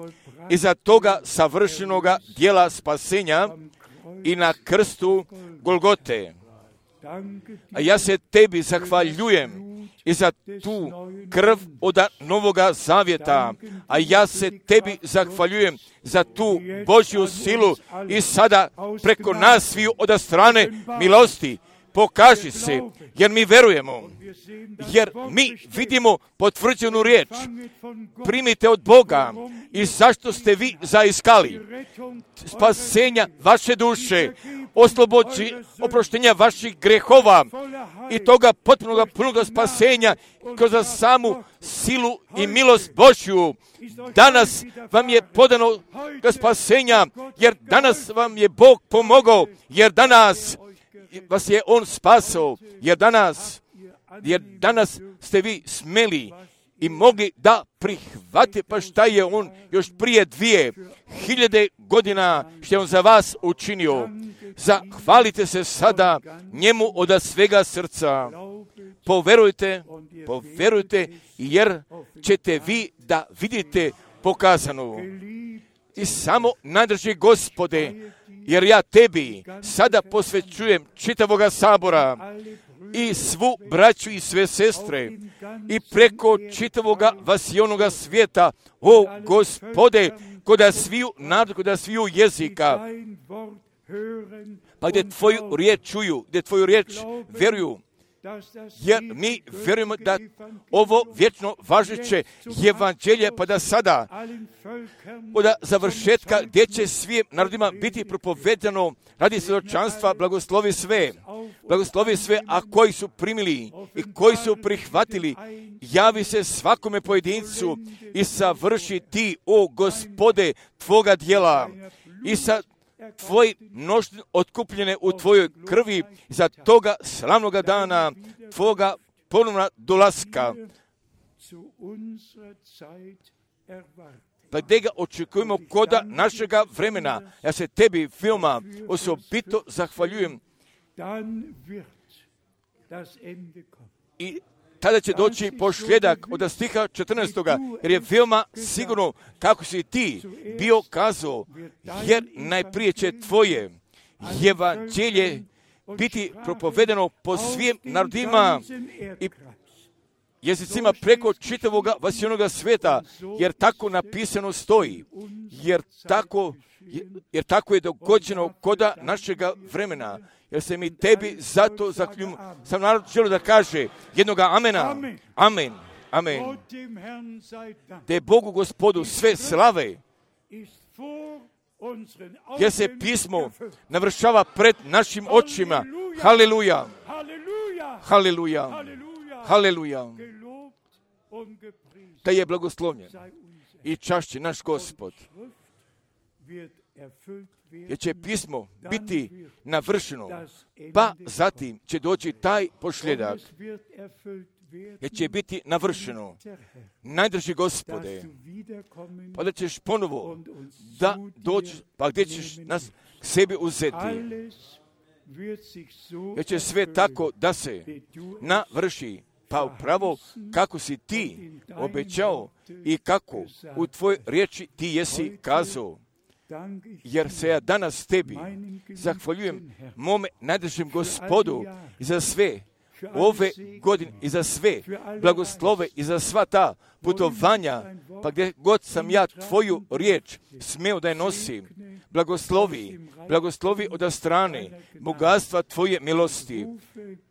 [SPEAKER 1] iza toga savršenoga dijela spasenja i na krstu Golgote. A ja se Tebi zahvaljujem i za tu krv od Novoga Zavjeta, a ja se Tebi zahvaljujem za tu Božju silu i sada preko nas sviju od strane milosti. Pokaži se, jer mi verujemo, jer mi vidimo potvrđenu riječ. Primite od Boga i zašto ste vi zaiskali spasenja vaše duše, oproštenja vaših grehova i toga potpunog punoga spasenja kroz samu silu i milost Božju. Danas vam je podano spasenja, jer danas vam je Bog pomogao, jer danas vas je On spasao, jer danas ste vi smeli i mogli da prihvatite pa šta je On još prije 2000 godina što je On za vas učinio. Zahvalite se sada njemu od svega srca. Poverujte, jer ćete vi da vidite pokazano. I samo najdrži Gospode, jer ja Tebi sada posvećujem čitavoga sabora i svu braću i sve sestre i preko čitavoga vasionoga svijeta, o Gospode, koda sviju jezika, pa gdje Tvoju riječ čuju, gdje Tvoju riječ vjeruju, jer mi vjerujemo da ovo vječno važeće evanđelje pa da sada od završetka gdje će svim narodima biti propovedano radi svjedočanstva, blagoslovi sve, a koji su primili i koji su prihvatili, javi se svakome pojedincu i savrši Ti, o Gospode, Tvoga djela i sa Tvoje mnoštine otkupljene u Tvojoj krvi za toga slavnoga dana, Tvoga ponovna dolaska. Pa gdje ga očekujemo koda našega vremena. Ja se Tebi veoma osobito zahvaljujem. I tada će doći pošljedak od stiha 14. jer je veoma sigurno kako si Ti bio kazao, jer najprije će Tvoje evanđelje biti propovedeno po svim narodima i jezicima preko čitavoga vasionoga svijeta, jer tako napisano stoji, jer tako je dogođeno koda našega vremena. Jer se mi Tebi zato zahvaljujem, sam narod želio da kaže jednoga amena. Amen. Te Bogu Gospodu sve slave, jer se pismo navršava pred našim očima. Haleluja. Da je blagoslovljen i čašće naš Gospod. Jer će pismo biti navršeno, pa zatim će doći taj pošljedak, jer će biti navršeno. Najdrži Gospode, pa da ćeš ponovo da doći, pa gdje ćeš nas k sebi uzeti. Jer će sve tako da se navrši, pa upravo kako si Ti obećao i kako u Tvojoj riječi Ti jesi kazao. jer se ja danas tebi zahvaljujem, mome najdražem Gospodu, i za sve ove godine, i za sve blagoslove, i za sva ta putovanja, pa gdje god sam ja tvoju riječ smeo da je nosim, blagoslovi od strane bogatstva tvoje milosti,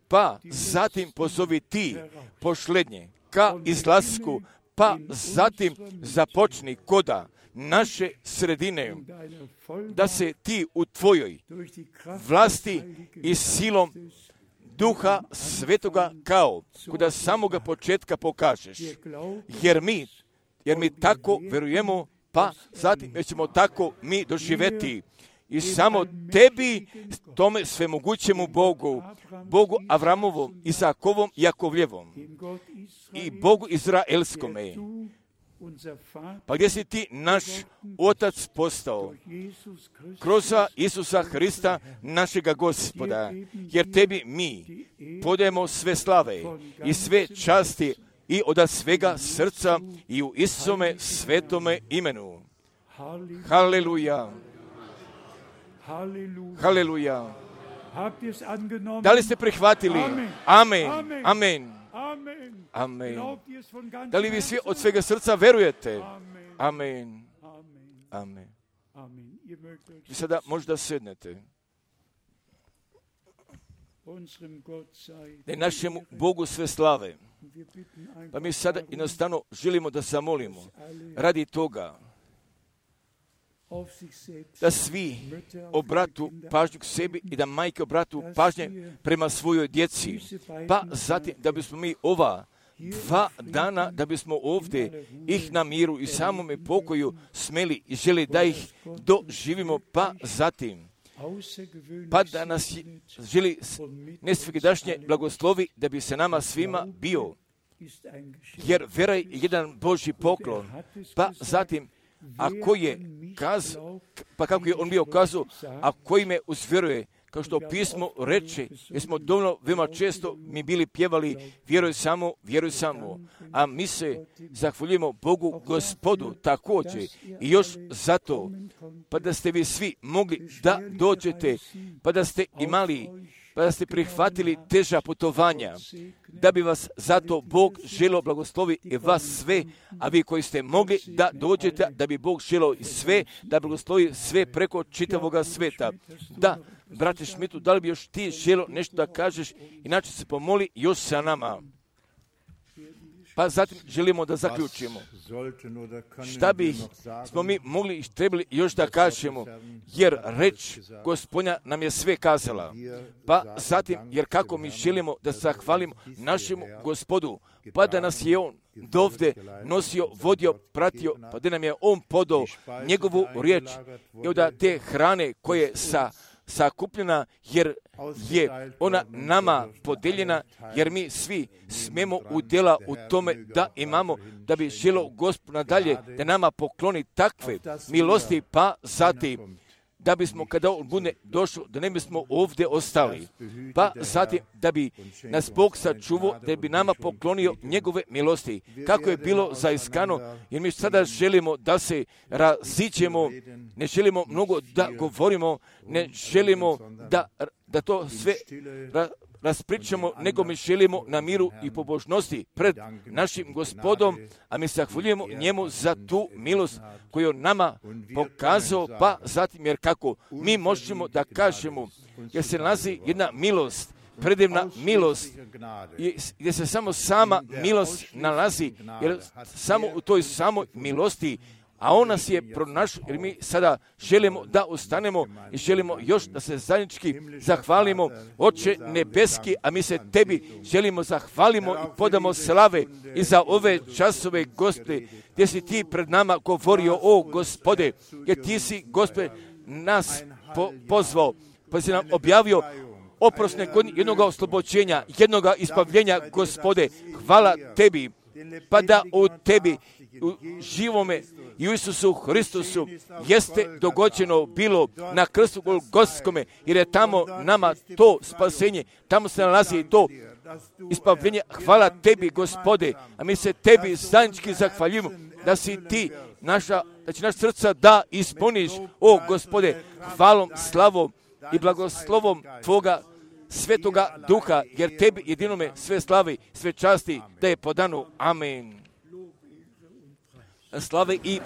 [SPEAKER 1] pa zatim pozovi ti pošlednje ka izlasku, pa zatim započni koda naše sredine, da se ti u tvojoj vlasti i silom Duha Svetoga kao kuda samoga početka pokažeš, jer mi tako verujemo, pa zatim ćemo tako mi doživjeti. I samo tebi, tome svemogućemu Bogu Avramovom, Isakovom, Jakovljevom i Bogu Izraelskome, pa gdje si ti naš Otac postao kroz Isusa Hrista našega Gospoda, jer tebi mi podajemo sve slave i sve časti i od svega srca i u Isusome svetome imenu. Haleluja. Haleluja. Da li ste prihvatili? Amen. Amen. Amen. Da li vi svi od svega srca verujete? Amen. Amen. Vi sada možda sednete. Da je našemu Bogu sve slave. Pa mi sada jednostavno želimo da zamolimo radi toga da svi obratu pažnju k sebi i da majke obratu pažnje prema svojoj djeci. Pa zatim da bismo mi ova 2 dana, da bismo ovdje ih na miru i samome pokoju smeli i želi da ih doživimo, pa zatim pa da nas želi nesvegdašnje blagoslovi da bi se nama svima bio. Jer vera je jedan Božji poklon, pa zatim ako je kazao, pa kako je on bio kazao, a koji me uzvjeruje, kao što pismo reče, jer smo dovoljno veoma često mi bili pjevali vjeruj samo, a mi se zahvaljujemo Bogu Gospodu također i još zato, pa da ste vi svi mogli da dođete, pa da ste imali, pa da ste prihvatili teža putovanja, da bi vas zato Bog želio blagoslovi i vas sve, a vi koji ste mogli da dođete, da bi Bog želio i sve, da blagoslovi sve preko čitavoga sveta. Da, brate Šmitu, da li bi još ti želio nešto da kažeš, inače se pomoli još sa nama. Pa zatim želimo da zaključimo. Šta bi smo mi mogli i trebali još da kažemo, jer reč Gospodnja nam je sve kazala. Pa zatim, jer kako mi želimo da zahvalimo našemu Gospodu, pa da nas je On dovde nosio, vodio, pratio, pa da nam je On podao njegovu riječ i od te hrane koje sakupljena, jer je ona nama podeljena, jer mi svi smemo udjela u tome da imamo, da bi želio Gospod nadalje da nama pokloni takve milosti, pa zatim da bismo kada on bude došao, da ne bismo ovdje ostali, pa zatim da bi nas Bog sačuvao, da bi nama poklonio njegove milosti, kako je bilo zaiskano, jer mi sada želimo da se raziđemo, ne želimo mnogo da govorimo, ne želimo da to sve raspričamo, nego mi želimo na miru i pobožnosti pred našim Gospodom, a mi zahvaljujemo njemu za tu milost koju on nama pokazao, pa zatim jer kako mi možemo da kažemo, jer se nalazi jedna milost, predivna milost, gdje se samo sama milost nalazi, jer samo u toj samoj milosti, a on nas je pronašao, jer mi sada želimo da ostanemo i želimo još da se zajednički zahvalimo, Oče nebeski, a mi se tebi želimo zahvalimo i podamo slave i za ove časove, Gospode, gdje si ti pred nama govorio, o Gospode, jer ti si, Gospode, nas pozvao, pa si nam objavio oprosne godine, jednog oslobođenja, jednog ispavljenja, Gospode, hvala tebi, pa da u tebi, u živome i u Isusu Hristusu jeste dogođeno bilo na krstu Golgotskome, jer je tamo nama to spasenje, tamo se nalazi to ispavljenje. Hvala tebi, Gospode, a mi se tebi zajednički zahvaljujemo da si ti naša da će naš srca da ispuniš, o Gospode, hvalom, slavom i blagoslovom Tvoga Svetoga Duha, jer Tebi jedinome sve slavi, sve časti da je podano. Amen. Slave i